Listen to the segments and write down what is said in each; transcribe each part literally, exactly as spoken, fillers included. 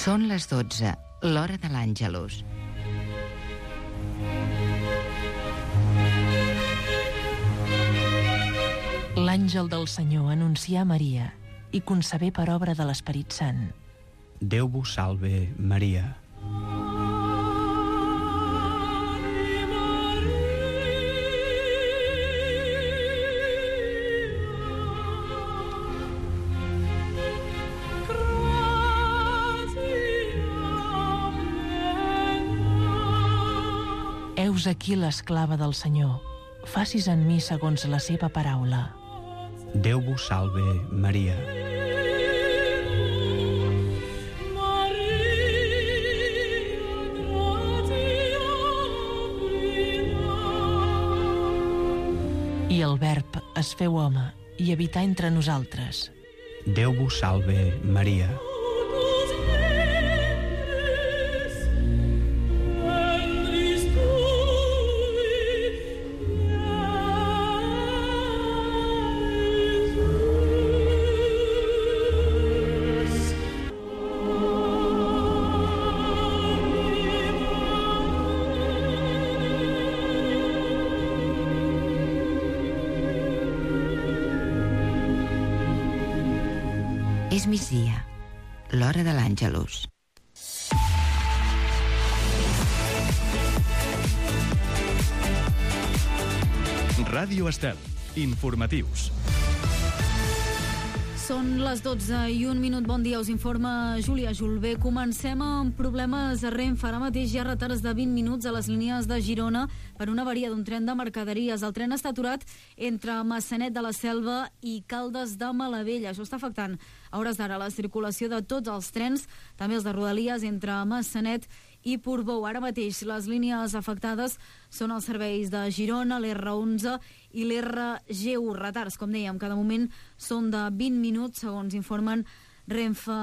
Són les dotze, l'hora de l'Àngelus. L'àngel del Senyor anuncià a Maria i concebé per obra de l'Esperit Sant. Déu vos salve, Maria. Heus aquí l'esclava del Senyor. Facis en mi segons la seva paraula. Déu vos salve, Maria. I el Verb es feu home i habità entre nosaltres. Déu vos salve, Maria. És migdia, l'hora de l'Àngelus. Ràdio Estel, informatius. Són les dotze i un minut. Bon dia, us informa Júlia Julbé. Comencem amb problemes a Renfe. Ara mateix hi ha retards de vint minuts a les línies de Girona per una avaria d'un tren de mercaderies. El tren està aturat entre Maçanet de la Selva i Caldes de Malavella. Això està afectant a hores d'ara la circulació de tots els trens, també els de Rodalies entre Maçanet i Portbou. Ara mateix les línies afectades són els serveis de Girona, l'erre onze i l'erre ge u. Retards, com dèiem, cada moment són de vint minuts, segons informen Renfe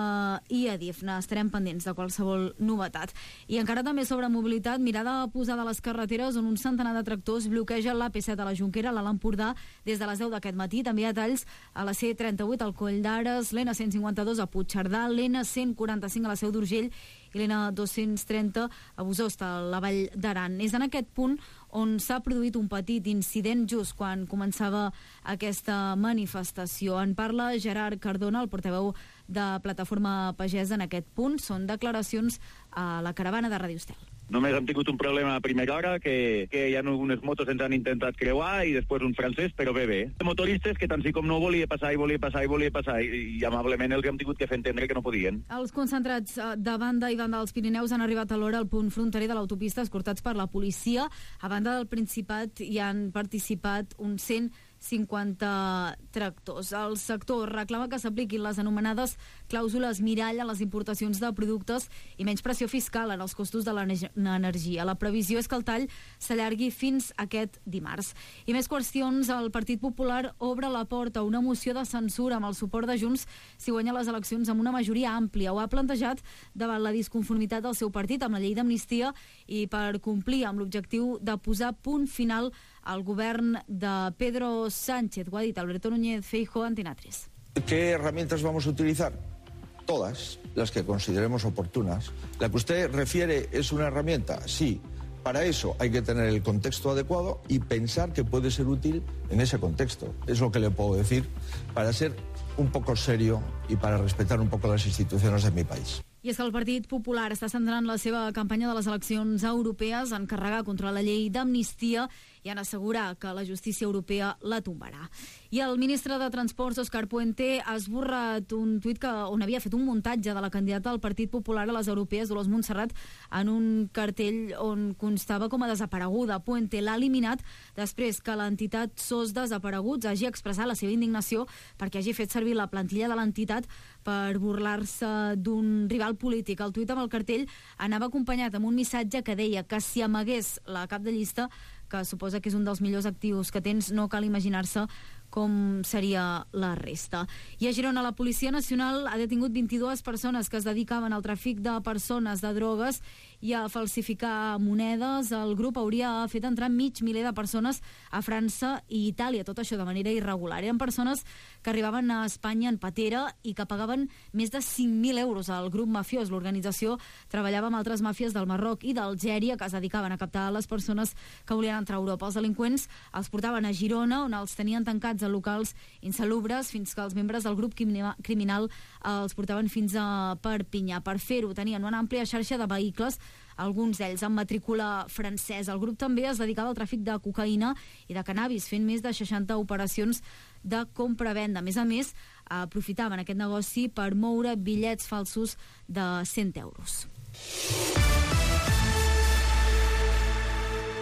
i Adif. Estarem pendents de qualsevol novetat. I encara també sobre mobilitat, mirada posada a les carreteres on un centenar de tractors bloqueja l'A P set a la Jonquera, a l'Alt Empordà, des de les deu d'aquest matí. També hi ha talls a la C trenta-vuit al Coll d'Ares, l'N cent cinquanta-dos a Puigcerdà, l'N cent quaranta-cinc a la Seu d'Urgell i l'N dos-cents trenta a Bososta, a la Vall d'Aran. És en aquest punt on s'ha produït un petit incident just quan començava aquesta manifestació. En parla Gerard Cardona, el portaveu de Plataforma Pagesa en aquest punt. Són declaracions a la caravana de Ràdio Estel. Només hem tingut un problema a primera hora, que, que hi ha unes motos ens han intentat creuar i després un francès, però bé, bé. Motoristes que tant sí com no volia passar i volia passar i volia passar i, i amablement els hem tingut que fer entendre que no podien. Els concentrats de banda i banda dels Pirineus han arribat alhora al punt fronterer de l'autopista escortats per la policia. A banda del Principat hi han participat uns cent cinquanta tractors. El sector reclama que s'apliquin les anomenades clàusules mirall a les importacions de productes i menys pressió fiscal en els costos de l'energia. La previsió és que el tall s'allargui fins aquest dimarts. I més qüestions. El Partit Popular obre la porta a una moció de censura amb el suport de Junts si guanya les eleccions amb una majoria àmplia. Ho ha plantejat davant la disconformitat del seu partit amb la llei d'amnistia i per complir amb l'objectiu de posar punt final al govern de Pedro Sánchez. Ho ha dit Alberto Núñez Feijóo, Antena tres. ¿Qué herramientas vamos a utilizar? Todas las que consideremos oportunas. La que usted refiere es una herramienta, sí. Para eso hay que tener el contexto adecuado y pensar que puede ser útil en ese contexto. Es lo que le puedo decir para ser un poco serio y para respetar un poco las instituciones de mi país. I és que el Partit Popular està centrant la seva campanya de les eleccions europees en carregar contra la llei d'amnistia i en assegurar que la justícia europea la tombarà. I el ministre de Transports, Òscar Puente, ha esborrat un tuit que, on havia fet un muntatge de la candidata del Partit Popular a les europees, Dolors Montserrat, en un cartell on constava com a desapareguda. Puente l'ha eliminat després que l'entitat S O S Desapareguts hagi expressat la seva indignació perquè hagi fet servir la plantilla de l'entitat per burlar-se d'un rival polític. El tuit amb el cartell anava acompanyat amb un missatge que deia que si amagués la cap de llista, que suposa que és un dels millors actius que tens, no cal imaginar-se com seria la resta. I a Girona, la Policia Nacional ha detingut vint-i-dues persones que es dedicaven al tràfic de persones, de drogues i a falsificar monedes. El grup hauria fet entrar mig miler de persones a França i Itàlia, tot això de manera irregular. Eren persones que arribaven a Espanya en patera i que pagaven més de cinc mil euros al grup mafiós. L'organització treballava amb altres màfies del Marroc i d'Algèria que es dedicaven a captar les persones que volien entrar a Europa. Els delinqüents els portaven a Girona, on els tenien tancats a locals insalubres, fins que els membres del grup criminal els portaven fins a Perpinyà. Per fer-ho tenien una àmplia xarxa de vehicles, alguns d'ells amb matrícula francesa. El grup també es dedicava al tràfic de cocaïna i de cannabis, fent més de seixanta operacions de compra-venda. A més a més, aprofitaven aquest negoci per moure bitllets falsos de cent euros.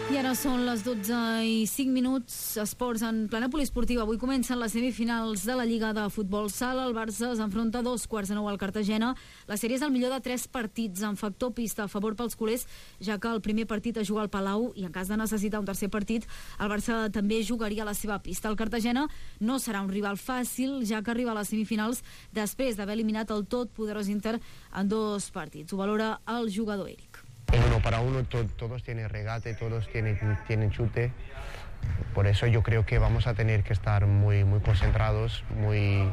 I ara són les dotze i cinc minuts. Esports en plana poliesportiva. Avui comencen les semifinals de la Lliga de Futbol Sala. El Barça s'enfronta a dos quarts de nou al Cartagena. La sèrie és el millor de tres partits, amb factor pista a favor pels culers, ja que el primer partit es juga al Palau i en cas de necessitar un tercer partit, el Barça també jugaria a la seva pista. El Cartagena no serà un rival fàcil, ja que arriba a les semifinals després d'haver eliminat el tot poderós Inter en dos partits. Ho valora el jugador Eric. En uno para uno to, todos tienen regate, todos tienen, tienen chute. Por eso yo creo que vamos a tener que estar muy, muy concentrados, muy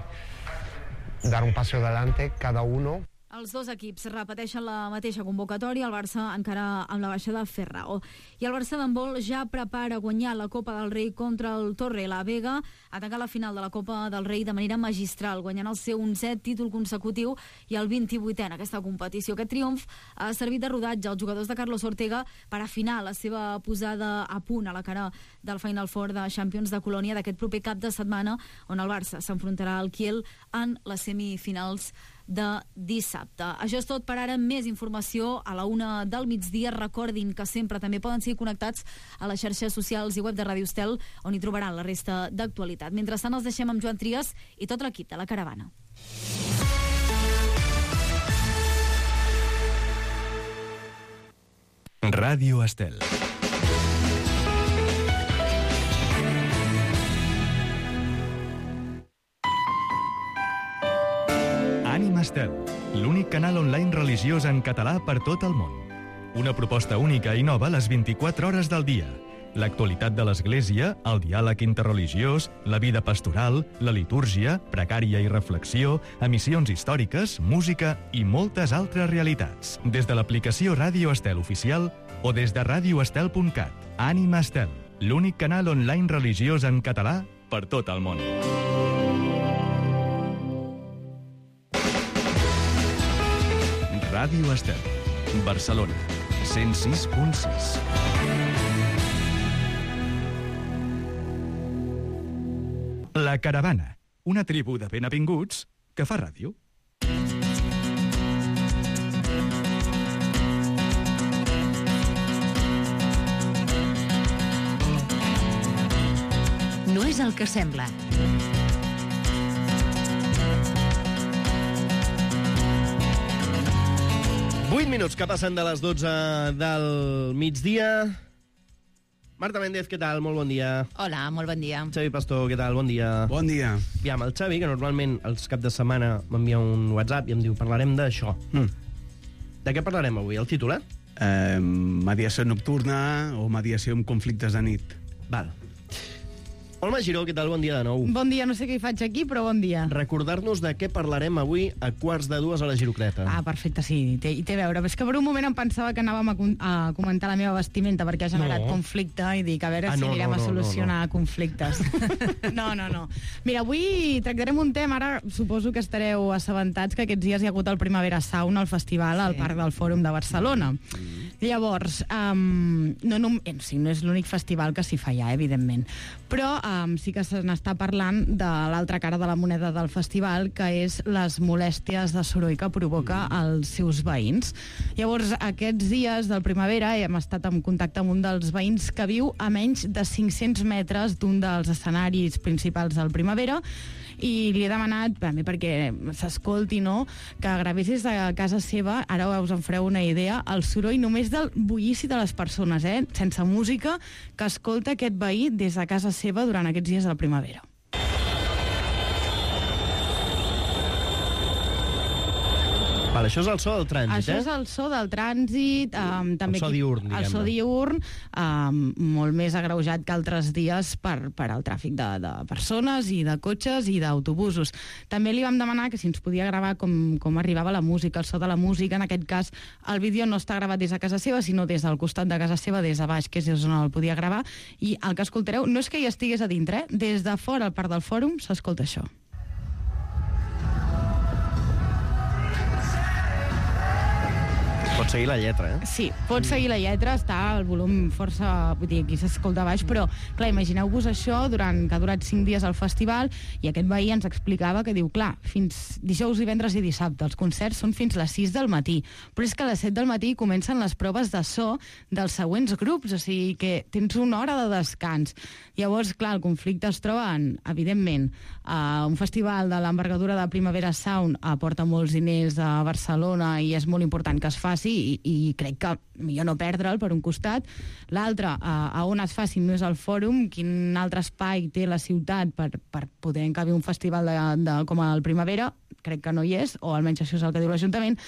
dar un paso adelante cada uno. Els dos equips repeteixen la mateixa convocatòria, el Barça encara amb la baixa de Ferrao. I el Barça d'handbol ja prepara guanyar la Copa del Rei contra el Torre la Vega, a tancar la final de la Copa del Rei de manera magistral, guanyant el seu onzè títol consecutiu i el vint-i-vuitè en aquesta competició. Aquest triomf ha servit de rodatge als jugadors de Carlos Ortega per afinar la seva posada a punt a la cara del Final Four de Champions de Colònia d'aquest proper cap de setmana, on el Barça s'enfrontarà al Kiel en les semifinals de dissabte. Això és tot per ara. Més informació a la una del migdia. Recordin que sempre també poden seguir connectats a les xarxes socials i web de Ràdio Estel, on hi trobaran la resta d'actualitat. Mentrestant els deixem amb Joan Trias i tot l'equip de la Caravana. Ràdio Estel. Ànima Estel, l'únic canal online religiós en català per tot el món. Una proposta única i nova a les vint-i-quatre hores del dia. L'actualitat de l'Església, el diàleg interreligiós, la vida pastoral, la litúrgia, precària i reflexió, emissions històriques, música i moltes altres realitats. Des de l'aplicació Ràdio Estel oficial o des de radioestel punt cat. Ànima Estel, l'únic canal online religiós en català per tot el món. Ràdio Estel, Barcelona, cent sis punt sis. La Caravana, una tribu de benavinguts que fa ràdio. No és el que sembla. vuit minuts que passen de les dotze del migdia. Marta Méndez, què tal? Molt bon dia. Hola, molt bon dia. Xavi Pastor, què tal? Bon dia. Bon dia. Aviam, el Xavi, que normalment els caps de setmana m'envia un WhatsApp i em diu parlarem d'això. Mm. De què parlarem avui? El títol, eh? Eh, mediació nocturna o mediació amb conflictes de nit. Val. Olma Giró, què tal? Bon dia de nou. Bon dia, no sé què hi faig aquí, però bon dia. Recordar-nos de què parlarem avui a quarts de dues a la Girocleta. Ah, perfecte, sí, hi té, hi té a veure. És que per un moment em pensava que anàvem a, a comentar la meva vestimenta perquè ha generat no. conflicte i dic, a veure ah, si no, anirem no, no, a solucionar no, no. conflictes. No, no, no. Mira, avui tractarem un tema, ara suposo que estareu assabentats que aquests dies hi ha hagut el Primavera Sound, el festival, sí. al Parc del Fòrum de Barcelona. Mm. Llavors, um, no, no, sí, no és l'únic festival que s'hi fa ja, evidentment, però um, sí que se n'està parlant de l'altra cara de la moneda del festival, que és les molèsties de soroll que provoca als seus veïns. Llavors, aquests dies del Primavera hem estat en contacte amb un dels veïns que viu a menys de cinc-cents metres d'un dels escenaris principals del Primavera, i li he demanat, bé, perquè s'escolti, no?, que gravessis a casa seva, ara us en fareu una idea, el soroll només del bullici de les persones, eh?, sense música, que escolta aquest veí des de casa seva durant aquests dies del Primavera. Vale, això és el so del trànsit, això eh? Això és el so del trànsit. Um, també el so diurn, diguem-ne. El so diurn, um, molt més agreujat que altres dies per, per al tràfic de, de persones i de cotxes i d'autobusos. També li vam demanar que si ens podia gravar com, com arribava la música, el so de la música. En aquest cas, el vídeo no està gravat des de casa seva, sinó des del costat de casa seva, des de baix, que és on el podia gravar. I el que escoltareu no és que hi estigués a dintre, eh? Des de fora, al parc del Fòrum, s'escolta això. Pots seguir la lletra, eh? Sí, pots seguir la lletra, està al volum força... Vull dir, aquí s'escolta baix, però, clar, imagineu-vos això durant que ha durat cinc dies al festival, i aquest veí ens explicava que diu, clar, fins dijous, divendres i dissabte, els concerts són fins les sis del matí, però és que a les set del matí comencen les proves de so dels següents grups, o sigui que tens una hora de descans. Llavors, clar, el conflicte es troba en, evidentment, uh, un festival de l'envergadura de Primavera Sound aporta molts diners a Barcelona i és molt important que es faci, i, i crec que millor no perdre'l per un costat. L'altre, a, a on es faci no és el Fòrum, quin altre espai té la ciutat per, per poder encabir un festival de, de, com el Primavera, crec que no hi és, o almenys això és el que diu l'Ajuntament.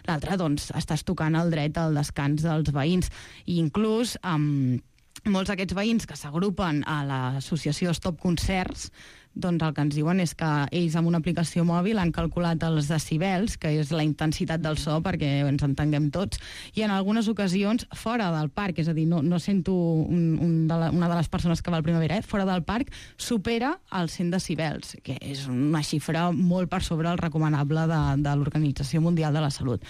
L'altre, doncs, estàs tocant el dret al descans dels veïns, i inclús amb molts d'aquests veïns que s'agrupen a l'associació Stop Concerts, doncs el que ens diuen és que ells amb una aplicació mòbil han calculat els decibels, que és la intensitat del so, perquè ens entenguem tots, i en algunes ocasions fora del parc, és a dir, no, no sento un, un de la, una de les persones que va al Primavera, eh? Fora del parc supera els cent decibels, que és una xifra molt per sobre el recomanable de, de l'Organització Mundial de la Salut.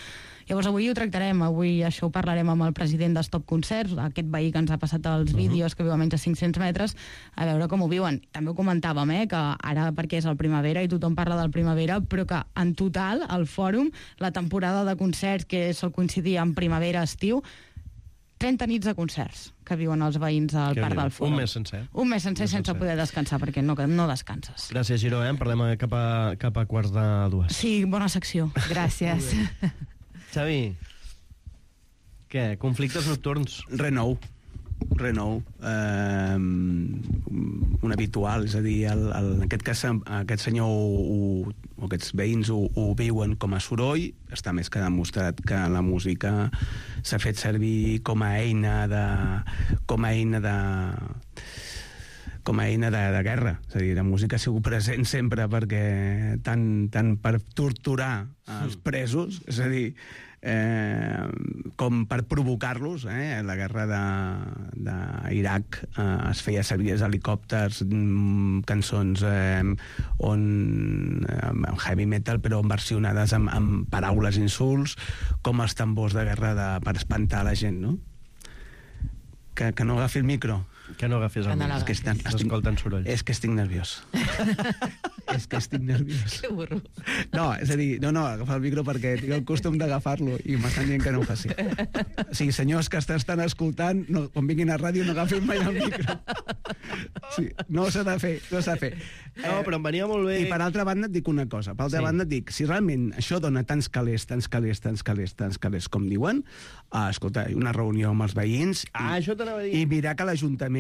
Llavors avui ho tractarem, avui això ho parlarem amb el president de Stop Concerts, aquest veí que ens ha passat els vídeos, que viu a menys de cinc-cents metres, a veure com ho viuen. També ho comentàvem, eh, que ara perquè és el Primavera i tothom parla del Primavera, però que en total, al Fòrum, la temporada de concerts, que sol coincidir amb primavera-estiu, trenta nits de concerts que viuen els veïns al parc del Fòrum. Un mes sencer. Un mes sencer sense poder descansar, perquè no, no descanses. Gràcies, Giró, eh? Parlem cap a, cap a quarts de dues. Sí, bona secció. Gràcies. Xavi, què? Conflictes nocturns? Re nou. Re nou. Eh, un habitual, és a dir, el, el, en aquest cas aquest senyor o, o aquests veïns ho, ho viuen com a soroll. Està més que demostrat que la música s'ha fet servir com a eina de... com a eina de com a eina de, de guerra. És a dir, la música ha sigut present sempre perquè tant, tant per torturar els presos, és a dir, eh, com per provocar-los. Eh? La guerra d'Iraq eh, es feia servir els helicòpters, mm, cançons eh, on eh, heavy metal, però versionades amb, amb paraules insults, com els tambors de guerra de, per espantar la gent, no? Que, que no agafi el micro. Que no agafis el micro. És que estan, escolten soroll. És que estic nerviós. És que estic nerviós. Que burro. No, és a dir, no, no, agafar el micro perquè tinc el costum d'agafar-lo i m'estan dient que no ho faci. O sigui, senyors que estan escoltant, no, quan vinguin a ràdio no agafin mai el micro. Sí, no s'ha de fer, no s'ha de fer. No, però em venia molt bé. I per altra banda et dic una cosa. Per altra sí. banda et dic, si realment això dona tants calés, tants calés, tants calés, tants calés, com diuen, uh, escolta, una reunió amb els veïns ah, i, això t'anava a dir. i mirar que l'Ajuntament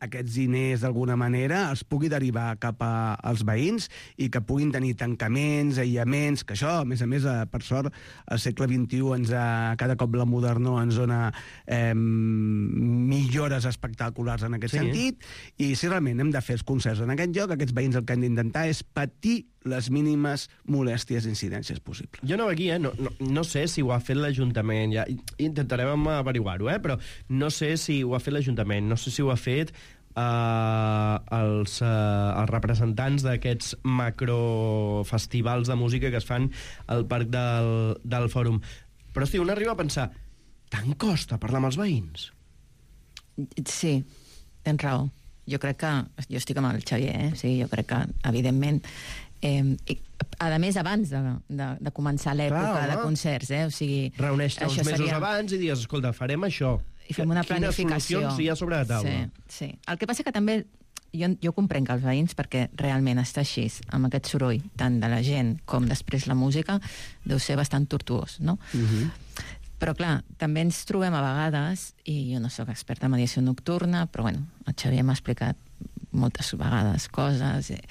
aquests diners d'alguna manera els pugui derivar cap a, als veïns i que puguin tenir tancaments, aïllaments, que això, a més a més, per sort, al segle vint-i-u ens ha, cada cop la modernor ens dona eh, millores espectaculars en aquest sí. sentit, i si realment hem de fer els concerts en aquest lloc, aquests veïns el que han d'intentar és patir les mínimes molèsties i incidències possibles. Jo no aquí, eh? No, no, no sé si ho ha fet l'Ajuntament, ja intentarem averiguar-ho, eh? Però no sé si ho ha fet l'Ajuntament, no sé si ho ha fet uh, els, uh, els representants d'aquests macrofestivals de música que es fan al parc del, del Fòrum. Però, hosti, un arriba a pensar, tant costa parlar amb els veïns? Sí, tens raó. Jo crec que... Jo estic amb el Xavier, eh? Sí, jo crec que, evidentment... Eh, i, a més, abans de, de, de començar l'època de concerts, eh? O sigui... Reuneix-te uns mesos seria... abans i dius, escolta, farem això. I fem una planificació. Quines solucions hi ha sobre la taula? Sí, sí. El que passa que també... Jo, jo comprenc que els veïns, perquè realment està així, amb aquest soroll, tant de la gent com després la música, deu ser bastant tortuós, no? Uh-huh. Però, clar, també ens trobem a vegades, i jo no sóc experta en mediació nocturna, però, bueno, el Xavier m'ha explicat moltes vegades coses, eh,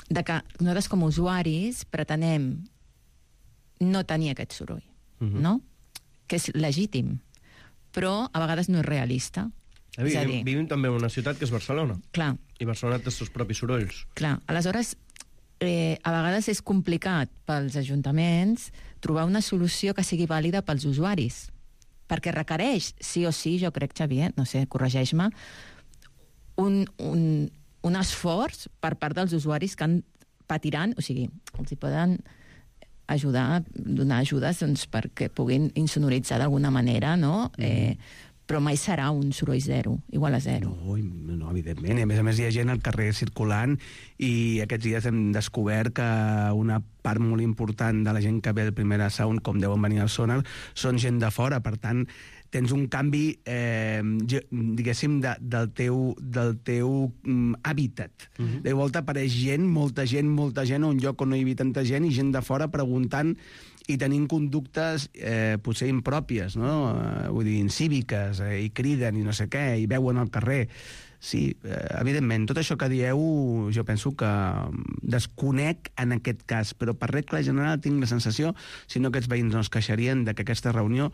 de que nosaltres com a usuaris pretenem no tenir aquest soroll. uh-huh. no? Que és legítim, però a vegades no és realista. Eh, vivim, dir, vivim també en una ciutat que és Barcelona. Clar. I Barcelona té els seus propis sorolls. Clar, aleshores, eh, a vegades és complicat pels ajuntaments trobar una solució que sigui vàlida pels usuaris, perquè requereix, sí o sí, jo crec, Xavier, no sé, corregeix-me, un, un, un esforç per part dels usuaris que han patiran, o sigui, els hi poden ajudar, donar ajudes doncs, perquè puguin insonoritzar d'alguna manera, no? Mm. Eh, però mai serà un soroll zero, igual a zero. No, no, evidentment. I a més a més hi ha gent al carrer circulant i aquests dies hem descobert que una part molt important de la gent que ve al Primera Sound, com deuen venir al Sonar, són gent de fora. Per tant, tens un canvi, eh, diguéssim, de, del teu, del teu um, hàbitat. Uh-huh. De volta apareix gent, molta gent, molta gent, a un lloc on no hi havia tanta gent, i gent de fora preguntant i tenint conductes eh, potser impròpies, no? Eh, vull dir, incíviques, eh, i criden i no sé què, i veuen al carrer. Sí, eh, evidentment, tot això que dieu jo penso que desconec en aquest cas, però per regla general tinc la sensació, si no aquests veïns no es queixarien de que aquesta reunió,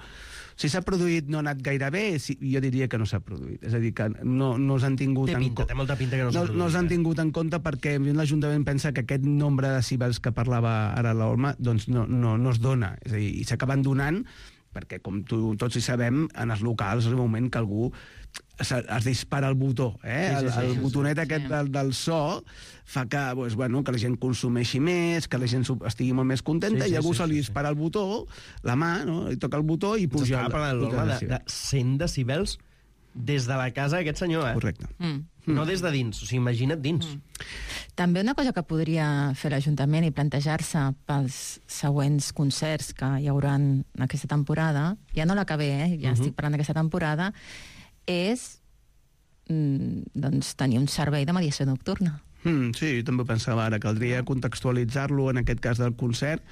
si s'ha produït no ha anat gaire bé, si, jo diria que no s'ha produït. És a dir, que no, no els han tingut... Té pinta, en... té molta pinta que no s'ha no, produït. No els han tingut en compte perquè l'Ajuntament pensa que aquest nombre de decibels que parlava ara l'Olma doncs no, no, no es dona. És a dir, i s'acaben donant perquè, com tu, tots hi sabem, en els locals és el moment que algú es, es dispara el botó, eh? Sí, sí, sí, el, el sí, botonet sí, aquest sí. Del, del so fa que, pues, bueno, que la gent consumeixi més, que la gent estigui molt més contenta, sí, sí, i algú sí, se li dispara sí. El botó, la mà, no? I toca el botó i puja... S'estava parlant de, de, de cent decibels des de la casa d'aquest senyor, eh? Correcte. Mm. No des de dins, o sigui, imagina't dins. Mm. També una cosa que podria fer l'Ajuntament i plantejar-se pels següents concerts que hi haurà aquesta temporada, ja no la que ve, eh? Ja uh-huh. estic parlant d'aquesta temporada, és mm, doncs, tenir un servei de mediació nocturna. Mm, sí, jo també pensava ara, caldria contextualitzar-lo en aquest cas del concert,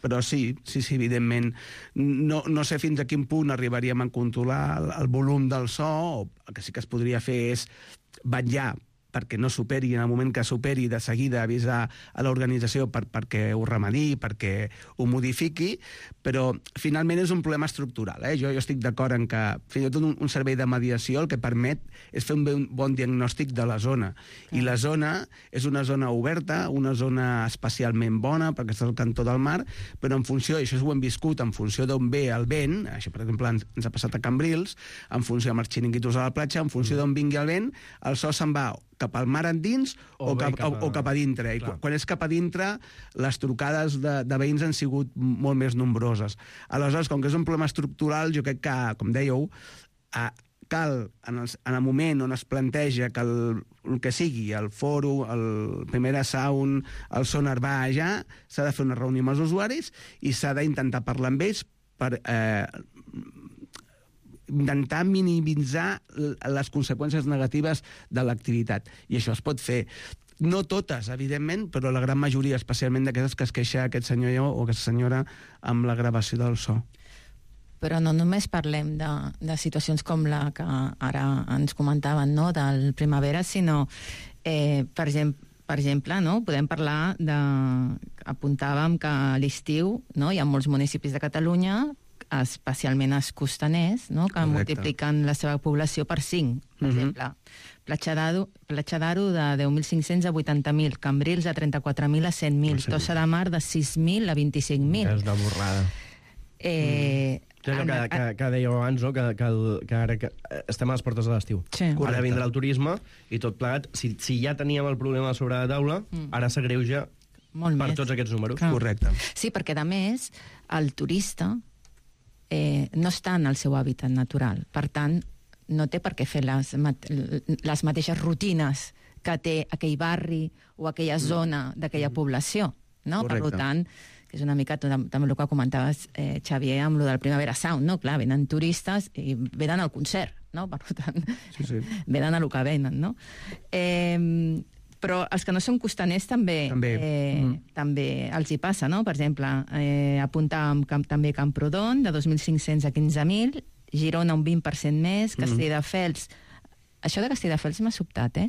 però sí, sí, sí, evidentment. No, no sé fins a quin punt arribaríem a controlar el, el volum del so, o el que sí que es podria fer és vetllar perquè no superi, en el moment que superi, de seguida avisar a l'organització per, perquè ho remedi, perquè ho modifiqui, però finalment és un problema estructural. Eh? Jo, jo estic d'acord en que fins i tot un, un servei de mediació el que permet és fer un, un bon diagnòstic de la zona. Clar. I la zona és una zona oberta, una zona especialment bona, perquè està al cantó del mar, però en funció, i això ho hem viscut, en funció d'on ve el vent, això per exemple ens, ens ha passat a Cambrils, en funció amb els xiringuitos a la platja, en funció d'on vingui el vent, el so se'n va cap al mar endins o, o, cap, cap, a... o, o cap a dintre. I quan, quan és cap a dintre, les trucades de, de veïns han sigut molt més nombroses. Aleshores, com que és un problema estructural, jo crec que, com dèieu, a, cal, en el, en el moment on es planteja que el, el que sigui, el fòrum, el Primera Sound, el Sonar va allà, s'ha de fer una reunió amb els usuaris i s'ha d'intentar parlar amb ells per... Eh, intentar minimitzar les conseqüències negatives de l'activitat. I això es pot fer. No totes, evidentment, però la gran majoria, especialment d'aquestes que es queixa aquest senyor o aquesta senyora amb la gravació del so. Però no només parlem de, de situacions com la que ara ens comentaven, no?, del Primavera, sinó, eh, per exemple, Per exemple, no? Podem parlar de... Apuntàvem que a l'estiu, no?, hi ha molts municipis de Catalunya, especialment els costaners, no?, que Correcte. Multipliquen la seva població per cinc. Per uh-huh. exemple, Platja d'Aro, Platja d'Aro de deu mil cinc-cents a vuitanta mil, Cambrils de trenta-quatre mil a cent mil, sí. Tossa de Mar de sis mil a vint-i-cinc mil. És una borrada. Eh... Mm. És el que, que, que dèieu abans, no? que, que, el, que ara que estem a les portes de l'estiu. Sí. Ara vindrà el turisme i tot plegat. Si, si ja teníem el problema sobre la taula, mm. ara s'agreuja per més. Tots aquests números. Clar. Correcte. Sí, perquè, a més, el turista eh, no està en el seu hàbitat natural. Per tant, no té per què fer les, les mateixes rutines que té aquell barri o aquella zona d'aquella mm. població. No? Per tant, que és una mica també el que comentaves, eh, Xavier, amb el del Primavera Sound, no? Clar, venen turistes i venen al concert, no? Per tant, sí, sí. venen a lo que venen, no? Eh, però els que no són costaners també, també. Eh, mm. també els hi passa, no? Per exemple, eh, apuntàvem camp, també Camprodon, de dos mil cinc-cents a quinze mil, Girona un vint per cent més, Castelldefels, mm. Això de Castelldefels m'ha sobtat, eh?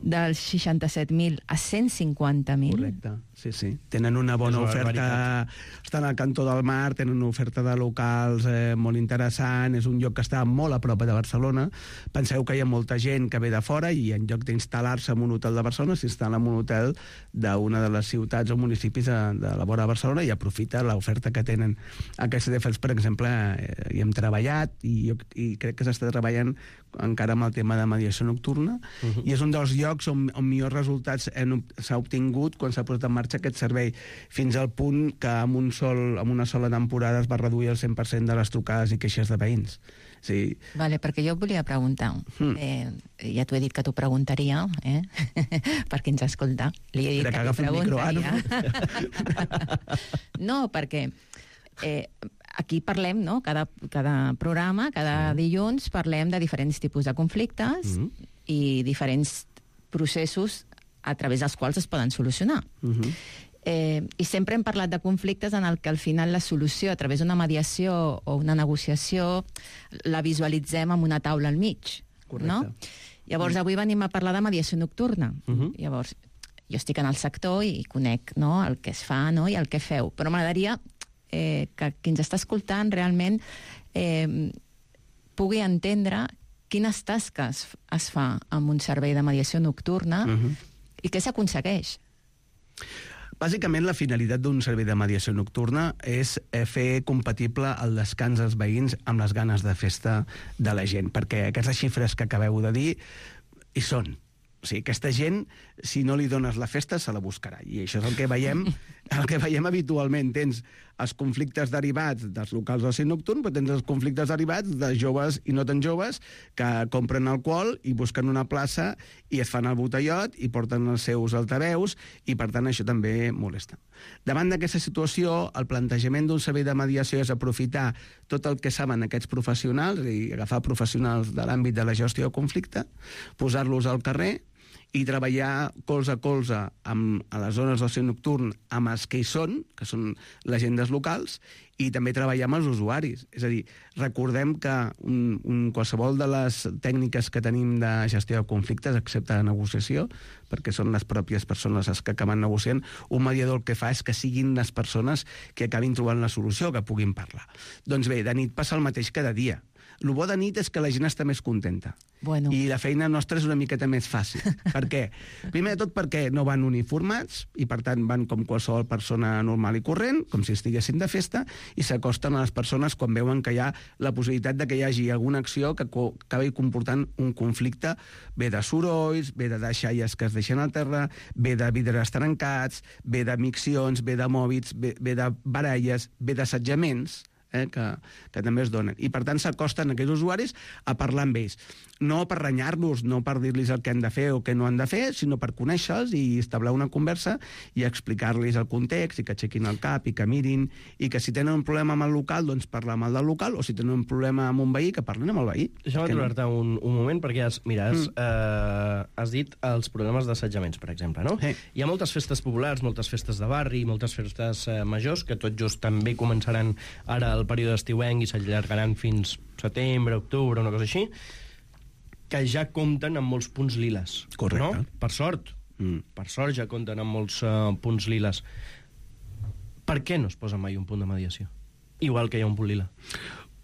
Dels seixanta-set mil a cent cinquanta mil. Correcte. sí, sí. Tenen una bona És una oferta, barbaritat. estan al cantó del mar, tenen una oferta de locals eh, molt interessant, és un lloc que està molt a prop de Barcelona. Penseu que hi ha molta gent que ve de fora i en lloc d'instal·lar-se en un hotel de Barcelona s'instal·la en un hotel d'una de les ciutats o municipis de, de la vora de Barcelona i aprofita l'oferta que tenen. Aquests hotels, per exemple, eh, hi hem treballat i, jo, i crec que s'està treballant encara amb el tema de mediació nocturna uh-huh. i és un dels llocs on, on millors resultats s'ha obtingut quan s'ha posat en marxa aquest servei, fins al punt que amb, un sol, amb una sola temporada es va reduir el cent per cent de les trucades i queixes de veïns. Sí. Vale, perquè jo et volia preguntar, mm. eh, ja t'ho he dit que t'ho preguntaria, eh? per qui ens escolta. Li he dit Era que, que t'ho preguntaria. No, perquè eh, aquí parlem, no? Cada, cada programa, cada dilluns, parlem de diferents tipus de conflictes mm. i diferents processos a través dels quals es poden solucionar. Mm-hmm. Eh, I sempre hem parlat de conflictes en el que al final la solució a través d'una mediació o una negociació la visualitzem amb una taula al mig. Correcte. No? Llavors, avui venim a parlar de mediació nocturna. Uh-huh. Llavors, jo estic en el sector i conec, no?, el que es fa, no?, i el que feu. Però m'agradaria eh, que qui ens està escoltant realment eh, pugui entendre quines tasques es fa amb un servei de mediació nocturna uh-huh. i què s'aconsegueix. Bàsicament, la finalitat d'un servei de mediació nocturna és fer compatible el descans dels veïns amb les ganes de festa de la gent, perquè aquestes xifres que acabeu de dir hi són. O sigui, aquesta gent, si no li dones la festa, se la buscarà. I això és el que veiem, el que veiem habitualment. Tens els conflictes derivats dels locals d'oci nocturn, però tens els conflictes derivats de joves i no tan joves que compren alcohol i busquen una plaça i es fan el botellot i porten els seus altaveus i, per tant, això també molesta. Davant d'aquesta situació, el plantejament d'un servei de mediació és aprofitar tot el que saben aquests professionals, és a dir, agafar professionals de l'àmbit de la gestió de conflicte, posar-los al carrer i treballar colze a colze amb, a les zones d'oci nocturn amb els que hi són, que són les agendes locals, i també treballar amb els usuaris. És a dir, recordem que un, un, qualsevol de les tècniques que tenim de gestió de conflictes, excepte de negociació, perquè són les pròpies persones les que acaben negociant, un mediador el que fa és que siguin les persones que acabin trobant la solució, que puguin parlar. Doncs bé, de nit passa el mateix cada dia. El bo de nit és que la gent està més contenta. Bueno. I la feina nostra és una miqueta més fàcil. Per què? Primer de tot perquè no van uniformats i, per tant, van com qualsevol persona normal i corrent, com si estiguessin de festa, i s'acosten a les persones quan veuen que hi ha la possibilitat de que hi hagi alguna acció que acabi comportant un conflicte, bé de sorolls, bé de deixalles que es deixen al terra, bé de vidres trencats, bé de miccions, bé de mòbils, bé, bé de baralles, bé d'assetjaments, Eh, que, que també es donen. I, per tant, s'acosten aquells usuaris a parlar amb ells. No per renyar-los, no per dir-los el que han de fer o què no han de fer, sinó per conèixer-los i establir una conversa i explicar-los el context i que aixequin el cap i que mirin i que si tenen un problema amb el local, doncs parlar amb el del local, o si tenen un problema amb un veí, que parlin amb el veí. Deixa'm aturar-te no? un, un moment, perquè has, mira, has, mm. eh, has dit els problemes d'assetjaments, per exemple, no? Sí. Hi ha moltes festes populars, moltes festes de barri, moltes festes eh, majors, que tot just també començaran ara el període estiuenc i s'allargaran fins setembre, octubre, una cosa així, que ja compten amb molts punts liles. Correcte. No? Per sort. Mm. Per sort ja compten amb molts uh, punts liles. Per què no es posa mai un punt de mediació? Igual que hi ha un punt lila.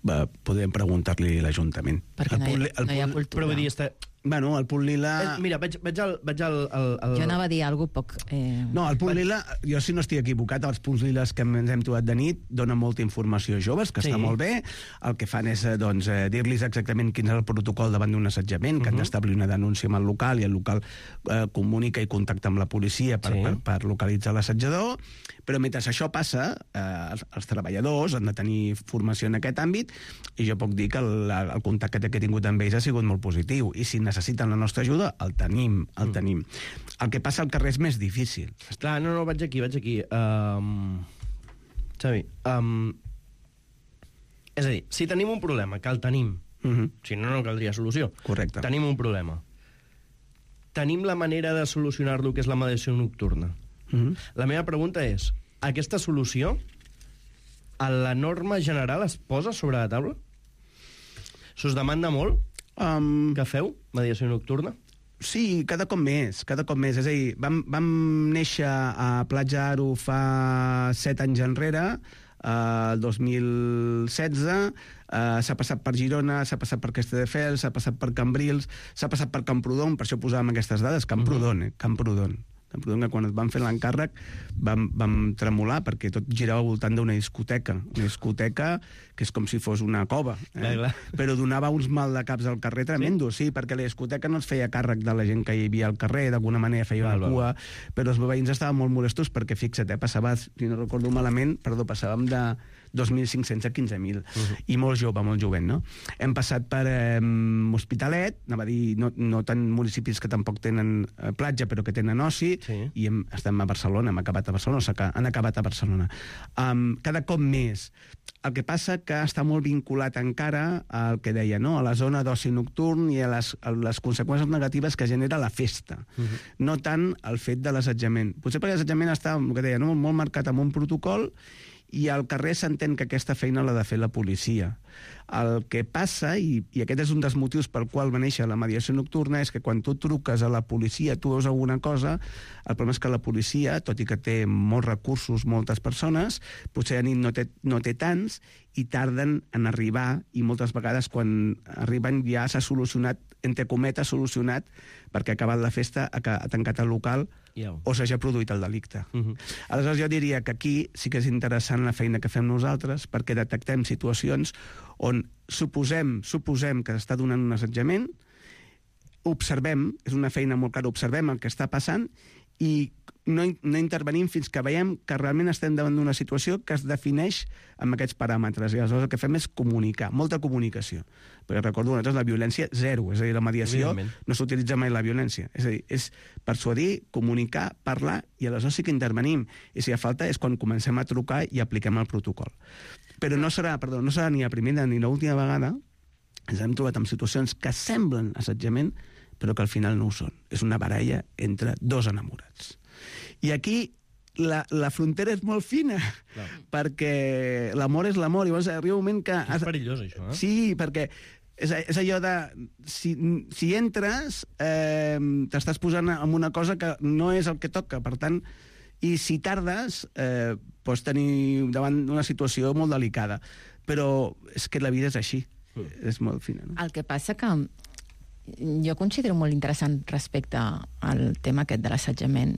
Va, podem preguntar-li a l'Ajuntament. Perquè no hi, el punt, no hi ha cultura. Però vull dir, està... Bueno, el punt lila... Eh, mira, vaig, vaig, al, vaig al, al, al... Jo anava a dir alguna cosa poc... Eh... No, el punt vaig... lila, jo si no estic equivocat, els punts liles que ens hem trobat de nit donen molta informació a joves, que sí. Està molt bé. El que fan és doncs, dir-los exactament quin és el protocol davant d'un assetjament, que uh-huh. han d'establir una denúncia amb el local, i el local eh, comunica i contacta amb la policia per, sí. per, per localitzar l'assetjador. Però mentre això passa, eh, els, els treballadors han de tenir formació en aquest àmbit, i jo puc dir que el, el contacte que he tingut amb ells ha sigut molt positiu. I si necessiten la nostra ajuda, el tenim, el mm. tenim. El que passa al carrer és més difícil. Clar, no, no, vaig aquí, vaig aquí. Um, Xavi, um, és a dir, si tenim un problema, que el tenim, uh-huh. si no, no caldria solució. Correcte. Tenim un problema. Tenim la manera de solucionar-lo, que és la mediació nocturna. Uh-huh. La meva pregunta és, aquesta solució, a la norma general es posa sobre la taula? S'us demanda molt? Um, que feu, mediació nocturna? Sí, cada cop més, cada cop més. És a dir, vam, vam néixer a Platja Aro fa set anys enrere, el dos mil setze, uh, s'ha passat per Girona, s'ha passat per Castelldefels, s'ha passat per Cambrils, s'ha passat per Camprodon, per això posàvem aquestes dades, Camprodon, eh? Camprodon. Camprodon, que quan et van fer l'encàrrec vam, vam tremolar, perquè tot girava al voltant d'una discoteca, una discoteca que és com si fos una cova, eh? Clar, clar. Però donava uns mal de caps al carrer tremendos, sí? sí, perquè la discoteca no es feia càrrec de la gent que hi havia al carrer, d'alguna manera feia una cua, però els veïns estaven molt molestos perquè, fixa't, eh, passava, si no recordo malament, perdó, passàvem de dos mil cinc-cents a quinze mil, uh-huh. i molt jove, molt jovent, no? Hem passat per eh, Hospitalet, anava a dir, no, no tant municipis que tampoc tenen eh, platja, però que tenen oci, sí. i hem, estem a Barcelona, hem acabat a Barcelona, o sigui, han acabat a Barcelona. Um, cada cop més. El que passa que està molt vinculat encara al que deia, no? A la zona d'oci nocturn i a les, a les conseqüències negatives que genera la festa. Uh-huh. No tant el fet de l'assetjament. Potser perquè l'assetjament està, el que deia, no? molt marcat amb un protocol, i al carrer s'entén que aquesta feina l'ha de fer la policia. El que passa, i, i aquest és un dels motius pel qual va néixer la mediació nocturna, és que quan tu truques a la policia, tu veus alguna cosa, el problema és que la policia, tot i que té molts recursos, moltes persones, potser a nit no té, no té tants, i tarden en arribar, i moltes vegades quan arriben ja s'ha solucionat, entre cometes, solucionat, perquè ha acabat la festa, ha, ha tancat el local, yeah. o s'ha ja produït el delicte. Uh-huh. Aleshores jo diria que aquí sí que és interessant la feina que fem nosaltres, perquè detectem situacions on suposem, suposem que està donant un assetjament, observem, és una feina molt clara, observem el que està passant i no, no intervenim fins que veiem que realment estem davant d'una situació que es defineix amb aquests paràmetres. I aleshores el que fem és comunicar, molta comunicació. Perquè recordo, nosaltres la violència zero, és a dir, la mediació no s'utilitza mai la violència. És a dir, és persuadir, comunicar, parlar, i aleshores sí que intervenim. I si fa falta és quan comencem a trucar i apliquem el protocol. Però no serà, perdó, no serà ni la primera ni l'última vegada. Ens hem trobat en situacions que semblen assetjament, però que al final no ho són. És una baralla entre dos enamorats. I aquí la, la frontera és molt fina, clar. Perquè l'amor és l'amor, i llavors arriba un moment que... És perillós, això, eh? Sí, perquè és, és allò de... Si, si entres, eh, t'estàs posant en una cosa que no és el que toca, per tant, i si tardes, eh, pots tenir davant d'una situació molt delicada. Però és que la vida és així, mm. és molt fina, no? El que passa que jo considero molt interessant respecte al tema aquest de l'assetjament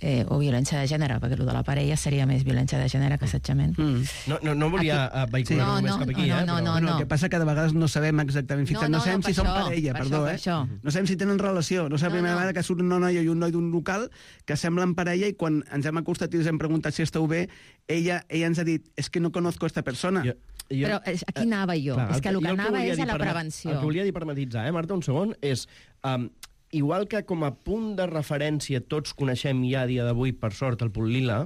eh, o violència de gènere, perquè el de la parella seria més violència de gènere que assetjament. Mm. No, no, no volia aquí... vehicular sí. no, només no, cap aquí, no, eh? No, però... no, no. no. El que passa que de vegades no sabem exactament, no, no, no sabem no, si són això, parella, per perdó, això, eh? No sabem si tenen relació, no sabem no, la primera no. vegada que surt una noia i un noi d'un local que semblen parella, i quan ens hem acostat i ens hem preguntat si esteu bé, ella, ella ens ha dit, és es que no conozco esta persona. Jo... Jo, però aquí anava jo, clar, és que el que anava que és a la prevenció. El que volia dir per matitzar, eh, Marta, un segon, és... Um, igual que com a punt de referència tots coneixem ja a dia d'avui, per sort, el punt lila,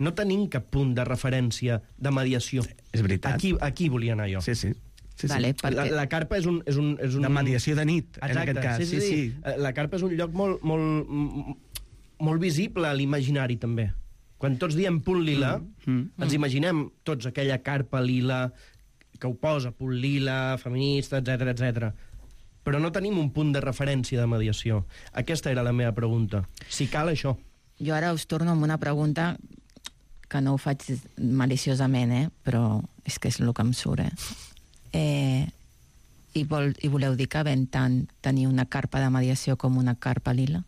no tenim cap punt de referència de mediació. És veritat. Aquí, aquí volia anar jo. Sí, sí. Sí, vale, sí. perquè... la, la carpa és un, és un, és un... De mediació de nit, exacte, en aquest cas. Sí, sí, sí. sí. La carpa és un lloc molt, molt, molt visible a l'imaginari, també. Quan tots diem punt lila, mm, mm, ens imaginem tots aquella carpa lila que ho posa, punt lila, feminista, etcètera, etcètera. Però no tenim un punt de referència de mediació. Aquesta era la meva pregunta. Si cal això. Jo ara us torno amb una pregunta que no ho faig maliciosament, eh? Però és que és el que em surt, eh? eh i, vol, I voleu dir que ven tant tenir una carpa de mediació com una carpa lila?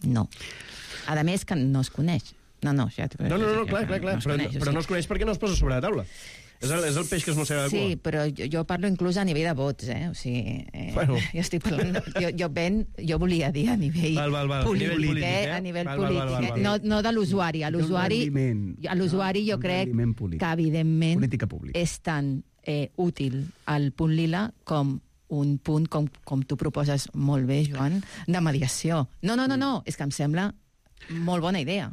No. A més que no es coneix. No, no, ja... No, no, no, clar, clar, clar. No però, coneix, però no es coneix perquè no es posa sobre la taula. És el, és el peix que es mossega de cua. Sí, però jo, jo parlo inclús a nivell de vots, eh? O sigui, eh, bueno. jo estic parlant... Jo, jo, ben, jo volia dir a nivell val, val, val. polític, nivell polític, eh? eh? A nivell val, polític, val, val, val, val. No, no de l'usuari. A l'usuari, a l'usuari jo crec que, evidentment, és tan eh, útil el punt lila com un punt, com, com tu proposes molt bé, Joan, de mediació. No, no, no, no, és que em sembla molt bona idea.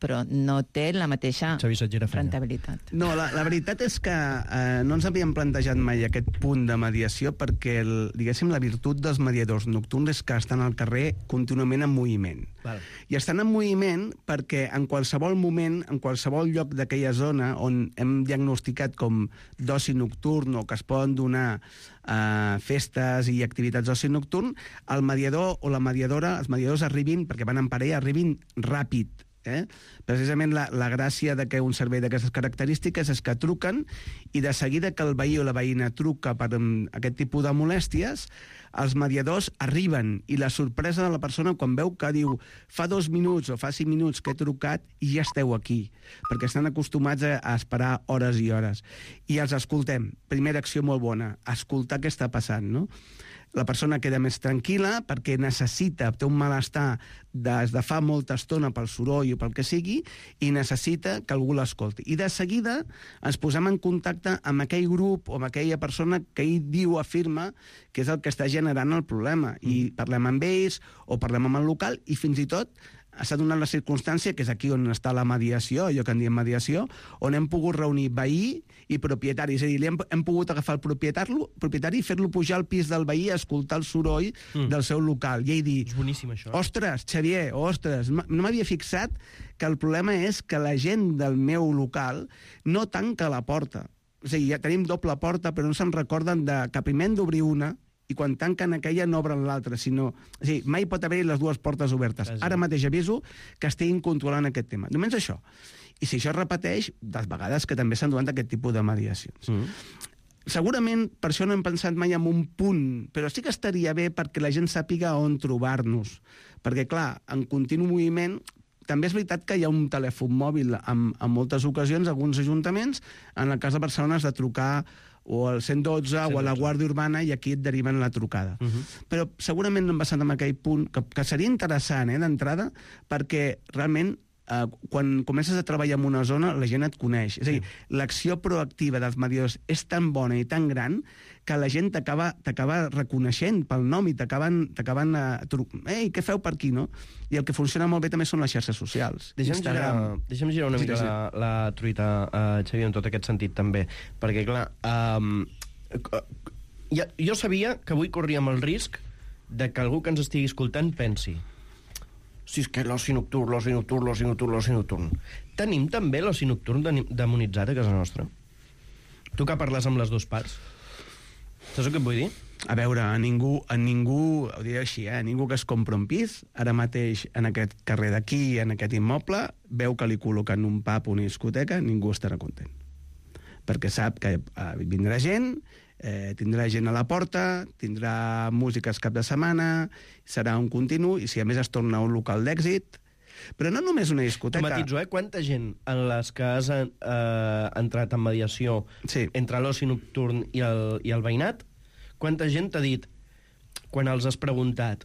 però no té la mateixa rentabilitat. No, la, la veritat és que eh, no ens havíem plantejat mai aquest punt de mediació perquè, el, diguéssim, la virtut dels mediadors nocturns és que estan al carrer contínuament en moviment. Val. I estan en moviment perquè en qualsevol moment, en qualsevol lloc d'aquella zona on hem diagnosticat com d'oci nocturn o que es poden donar eh, festes i activitats d'oci nocturn, el mediador o la mediadora, els mediadors arribin, perquè van en parella, arribin ràpid. Eh? Precisament la, la gràcia de que un servei d'aquestes característiques és que truquen i de seguida que el veí o la veïna truca per um, aquest tipus de molèsties, els mediadors arriben i la sorpresa de la persona quan veu que diu fa dos minuts o fa cinc minuts que he trucat i ja esteu aquí, perquè estan acostumats a, a esperar hores i hores. I els escoltem. Primera acció molt bona, escoltar què està passant, no? La persona queda més tranquil·la perquè necessita, té un malestar des de fa molta estona pel soroll o pel que sigui, i necessita que algú l'escolti. I de seguida ens posem en contacte amb aquell grup o amb aquella persona que ell diu, afirma, que és el que està generant el problema. I parlem amb ells o parlem amb el local i fins i tot s'ha donat la circumstància, que és aquí on està la mediació, allò que en diem mediació, on hem pogut reunir veí i propietari. És a dir, hem, hem pogut agafar el propietari, propietari i fer-lo pujar al pis del veí a escoltar el soroll mm. del seu local. I ell dir, és boníssim, això. Ostres, Xavier, ostres, no m'havia fixat que el problema és que la gent del meu local no tanca la porta. És a dir, ja tenim doble porta, però no se'n recorden de que primer hem d'obrir una i quan tanquen aquella no obren l'altra, sinó... És a dir, mai pot haver les dues portes obertes. Ara mateix aviso que estiguin controlant aquest tema. Només això. I si això es repeteix, de vegades que també s'han donat aquest tipus de mediacions. Mm. Segurament, per això no hem pensat mai en un punt, però sí que estaria bé perquè la gent sàpiga on trobar-nos. Perquè, clar, en continu moviment... També és veritat que hi ha un telèfon mòbil en, en moltes ocasions, alguns ajuntaments, en el cas de Barcelona has de trucar o al cent dotze o a la Guàrdia Urbana i aquí et deriven la trucada. Uh -huh. Però segurament no hem passat en aquell punt, que, que seria interessant eh, d'entrada, perquè realment eh, quan comences a treballar en una zona la gent et coneix. És a dir, sí. L'acció proactiva dels mediadors és tan bona i tan gran que la gent t'acaba t'acaba reconeixent pel nom i t'acaben t'acaben a trucar. Ei, què feu per aquí, no? I el que funciona molt bé també són les xarxes socials. Deixa'm girar, deixa'm girar una mica sí, sí. la, la truita, uh, Xavier, en tot aquest sentit també, perquè clar, um, ja, jo sabia que avui corríem el risc de que algú que ens estigui escoltant pensi si és que l'oci nocturn, l'oci nocturn, l'oci nocturn, l'oci nocturn. Tenim també l'oci nocturn demonitzat a casa nostra? Tu que parles amb les dues parts, saps el que et vull dir? A veure, a ningú, a ningú, ho diré així, eh, a ningú que es compra un pis, ara mateix en aquest carrer d'aquí, en aquest immoble, veu que li col·loquen un pub o una discoteca, ningú estarà content. Perquè sap que eh, vindrà gent, eh, tindrà gent a la porta, tindrà músiques cap de setmana, serà un continu, i si a més es torna un local d'èxit... Però no només una discoteca... Matitzo, eh? Quanta gent en les que has eh, entrat en mediació sí. entre l'oci nocturn i el, i el veïnat, quanta gent t'ha dit, quan els has preguntat,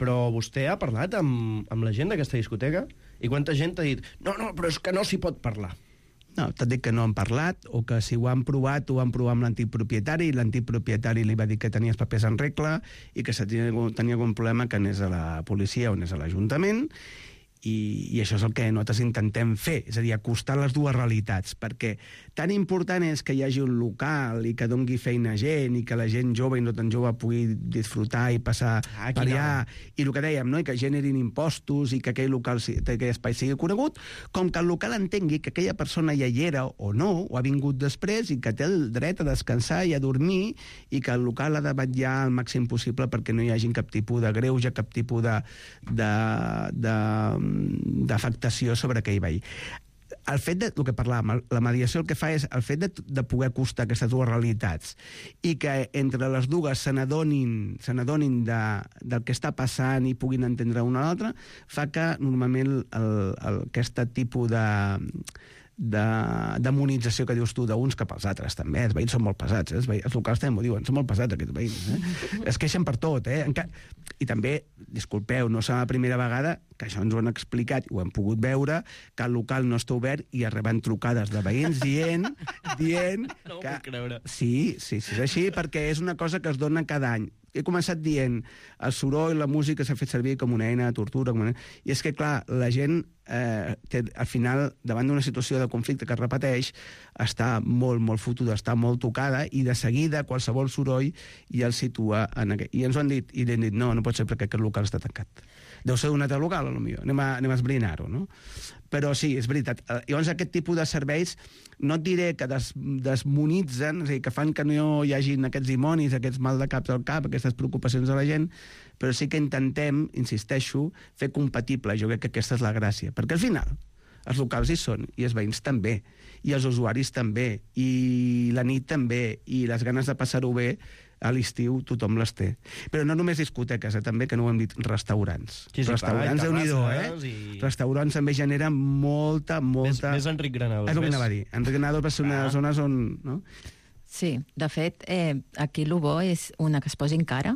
però vostè ha parlat amb, amb la gent d'aquesta discoteca? I quanta gent t'ha dit, no, no, però és que no s'hi pot parlar? No, t'ha dit que no han parlat, o que si ho han provat, ho han provat amb l'antic propietari, i l'antic propietari li va dir que tenia els papers en regla i que si tenia, tenia algun problema que anés a la policia o anés a l'Ajuntament, i, i això és el que nosaltres intentem fer, és a dir, acostar les dues realitats, perquè tan important és que hi hagi un local i que dongui feina a gent i que la gent jove i no tan jove pugui disfrutar i passar ah, per allà, no. I el que dèiem, no? I que generin impostos i que aquell local, aquell espai sigui conegut, com que el local entengui que aquella persona ja hi era o no, o ha vingut després i que té el dret a descansar i a dormir i que el local ha de vetllar al màxim possible perquè no hi hagi cap tipus de greuge, cap tipus de, de, de d'afectació sobre aquell veí. El fet de, el que parlàvem, la mediació el que fa és el fet de, de poder acostar aquestes dues realitats i que entre les dues se n'adonin se n'adonin de, del que està passant i puguin entendre una a l'altra, fa que normalment el, el, aquest tipus de de demonització que dius tu d'uns cap als altres també, els veïns són molt pesats, eh? els, veïns, els locals també m'ho diuen, són molt pesats aquests veïns, eh? Es queixen per tot, eh? Enca... i també, disculpeu, no serà la primera vegada que això ens ho han explicat i ho hem pogut veure, que el local no està obert i arriben trucades de veïns dient dient no que... puc creure. Sí, sí, sí, és així, perquè és una cosa que es dona cada any. He començat dient el soroll, la música s'ha fet servir com una eina de tortura, com una... i és que, clar, la gent eh, té, al final, davant d'una situació de conflicte que es repeteix, està molt, molt fotuda, està molt tocada, i de seguida qualsevol soroll ja el situa en aquest. I ens ho han dit, i li han dit, no, no pot ser perquè aquest local està tancat. Deu ser d'un altre local, potser. Anem a, anem a esbrinar-ho, no? Però sí, és veritat. Llavors, aquest tipus de serveis, no et diré que des, desmonitzen, és a dir, que fan que no hi hagin aquests dimonis, aquests mal de caps al cap, aquestes preocupacions de la gent, però sí que intentem, insisteixo, fer compatible. Jo crec que aquesta és la gràcia. Perquè al final, els locals hi són, i els veïns també, i els usuaris també, i la nit també, i les ganes de passar-ho bé, a l'estiu tothom les té. Però no només discoteques, eh, també, que no ho hem dit, restaurants. Sí, sí, restaurants, déu-n'hi-do, eh? I... Restaurants també generen molta, molta... Més, més Enric Granados. És el que anava a dir. Enric Granados va ser una de les zones on... No? Sí, de fet, eh, aquí el bo és una que es posi en cara.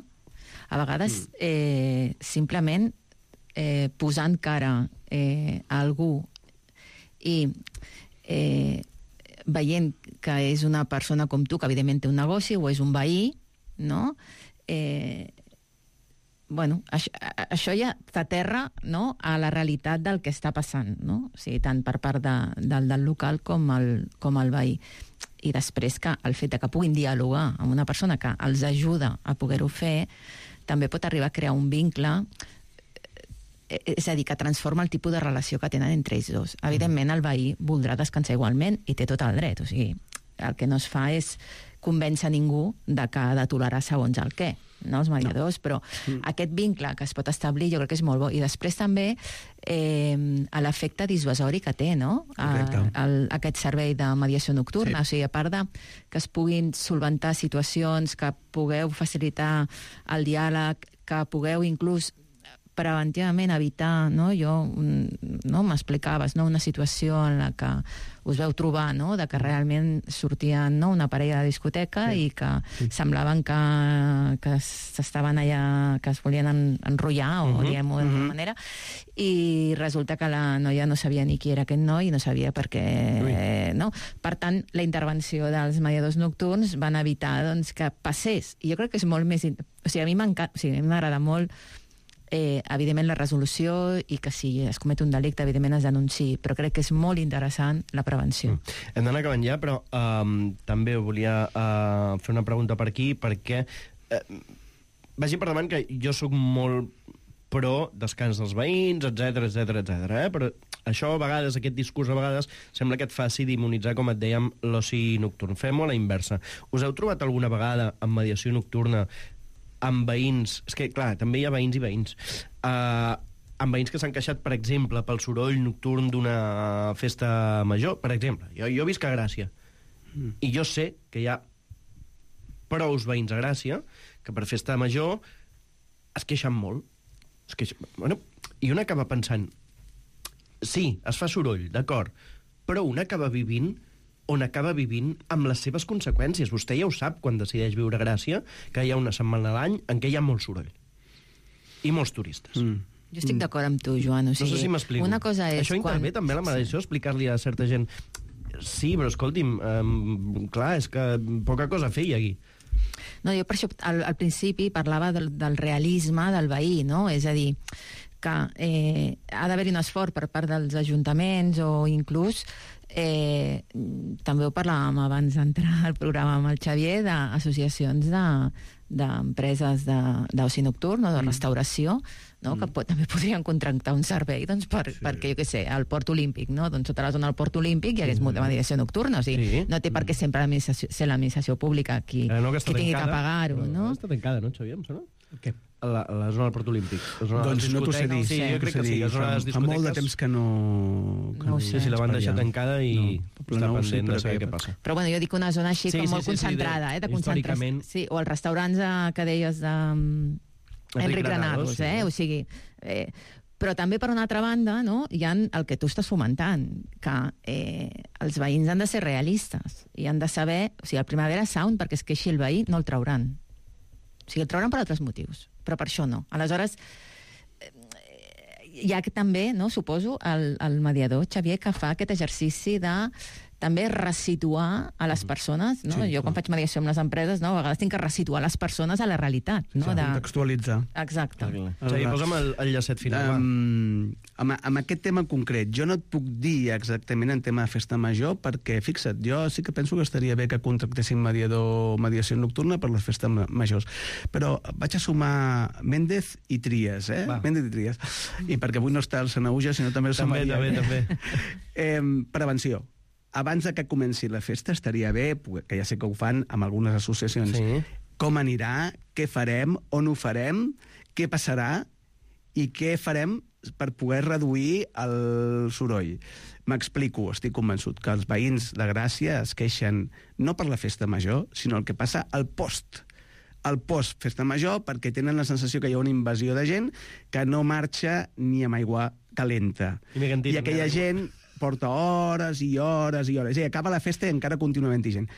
A vegades, mm. eh, simplement eh, posant cara eh, a algú i eh, veient que és una persona com tu, que evidentment té un negoci, o és un veí, no? Eh, bueno, això, això ja t'aterra, no?, a la realitat del que està passant, no? O sigui, tant per part de, del, del local com el, com el veí. I després que el fet de que puguin dialogar amb una persona que els ajuda a poder-ho fer, també pot arribar a crear un vincle, és a dir, que transforma el tipus de relació que tenen entre ells dos. Evidentment, el veí voldrà descansar igualment i té tot el dret. O sigui, el que no es fa és convèncer ningú de que ha de tolerar segons el què, no, els mediadors, no. Però mm. aquest vincle que es pot establir jo crec que és molt bo. I després també eh, l'efecte dissuasori que té, no?, a, el, aquest servei de mediació nocturna. Sí. O sigui, a part de que es puguin solventar situacions, que pugueu facilitar el diàleg, que pugueu inclús preventivament evitar, no? Jo, no, m'explicaves, no?, una situació en la que us veu trobar, no?, de que realment sortien, no?, una parella de discoteca, sí, i que sí, semblaven que, que s'estaven allà, que es volien en, enrotllar, o uh -huh, diguem-ho d'alguna uh -huh. manera, i resulta que la noia no sabia ni qui era aquest noi i no sabia per què, eh, no? Per tant, la intervenció dels mediadors nocturns van evitar, doncs, que passés. I jo crec que és molt més... O sigui, a mi m'encanta, o sigui, a mi m'agrada molt Eh, evidentment la resolució, i que si es comet un delicte evidentment es denunciï, però crec que és molt interessant la prevenció. Mm. Hem d'anar acabant ja, però um, també volia uh, fer una pregunta per aquí, perquè uh, vagi per davant que jo sóc molt pro descans dels veïns, etcètera, etcètera, etcètera, eh? Però això a vegades, aquest discurs a vegades, sembla que et faci demonitzar, com et dèiem, l'oci nocturn. Fem-ho a la inversa. Us heu trobat alguna vegada en mediació nocturna amb veïns, és que, clar, també hi ha veïns i veïns, uh, amb veïns que s'han queixat, per exemple, pel soroll nocturn d'una festa major, per exemple. Jo, jo visc a Gràcia, mm. i jo sé que hi ha prous veïns a Gràcia que per festa major es queixen molt. Es queixen... Bueno, i un acaba pensant, sí, es fa soroll, d'acord, però un acaba vivint on acaba vivint amb les seves conseqüències. Vostè ja ho sap quan decideix viure a Gràcia, que hi ha una setmana a l'any en què hi ha molt soroll. I molts turistes. Mm. Jo estic mm. d'acord amb tu, Joan. O sigui, no sé si m'explico. Una cosa és Això intervé quan... també la mediació, explicar-li a certa gent... Sí, però escolti'm, um, clar, és que poca cosa feia aquí. No, jo per això al, al principi parlava del, del realisme del veí, no? És a dir, que eh, ha d'haver-hi un esforç per part dels ajuntaments o inclús Eh, també ho parlàvem abans d'entrar al programa amb el Xavier, d'associacions d'empreses de, d'oci nocturn o de restauració, no? Mm. que pot, també podrien contractar un servei, doncs, per, sí. perquè, jo què sé, al Port Olímpic, no? Doncs sota la zona del Port Olímpic hi hagués mm. molta mediació nocturna, o sigui, sí. no té per què sempre ser l'administració pública qui, eh, no, que qui tingui que pagar-ho, no? Està tancada, no, Xavier, em sona? Què? A la, a la zona del Port Olímpic. Doncs no t'ho sé dir. Sí, jo crec que sí. Fa, fa molt de temps que no... Que no ho sé. Sí, la van deixar tancada i no, està no pendent de saber què passa. Però bueno, jo dic una zona així sí, com sí, molt sí, concentrada, sí, eh, de concentració. Sí, o els restaurants eh, que deies de Enric, Enric Granados, sí. eh? O sigui... Eh, però també, per una altra banda, no, hi ha el que tu estàs fomentant, que eh, els veïns han de ser realistes i han de saber... O sigui, el Primavera Sound, perquè es queixi el veí, no el trauran. O sigui, el trauran per altres motius, però per això no. Aleshores, hi ha també, no, suposo, el, el mediador, Xavier, que fa aquest exercici de també resituar a les persones, no? Sí, jo quan faig mediació amb les empreses, no? A vegades tinc que resituar les persones a la realitat, no? Sí, de... contextualitzar. Exacte. Sí, posa'm el, el llacet final. Um, amb, amb aquest tema concret, jo no et puc dir exactament en tema de festa major, perquè, fixa't, jo sí que penso que estaria bé que contractessin mediador, mediació nocturna per les festes majors. Però vaig a sumar Méndez i Trias, eh? Va. Méndez i Trias. I perquè avui no està el Sanauja, sinó també el Sant També, Maria. també, també. eh, prevenció. Abans de que comenci la festa estaria bé, que ja sé que ho fan amb algunes associacions, sí. Com anirà, què farem, on ho farem, què passarà i què farem per poder reduir el soroll. M'explico, estic convençut que els veïns de Gràcia es queixen no per la festa major, sinó el que passa al post. Al post festa major, perquè tenen la sensació que hi ha una invasió de gent que no marxa ni amb aigua calenta. I, I aquella gent porta hores i hores i hores. I acaba la festa i encara continua havent-hi gent.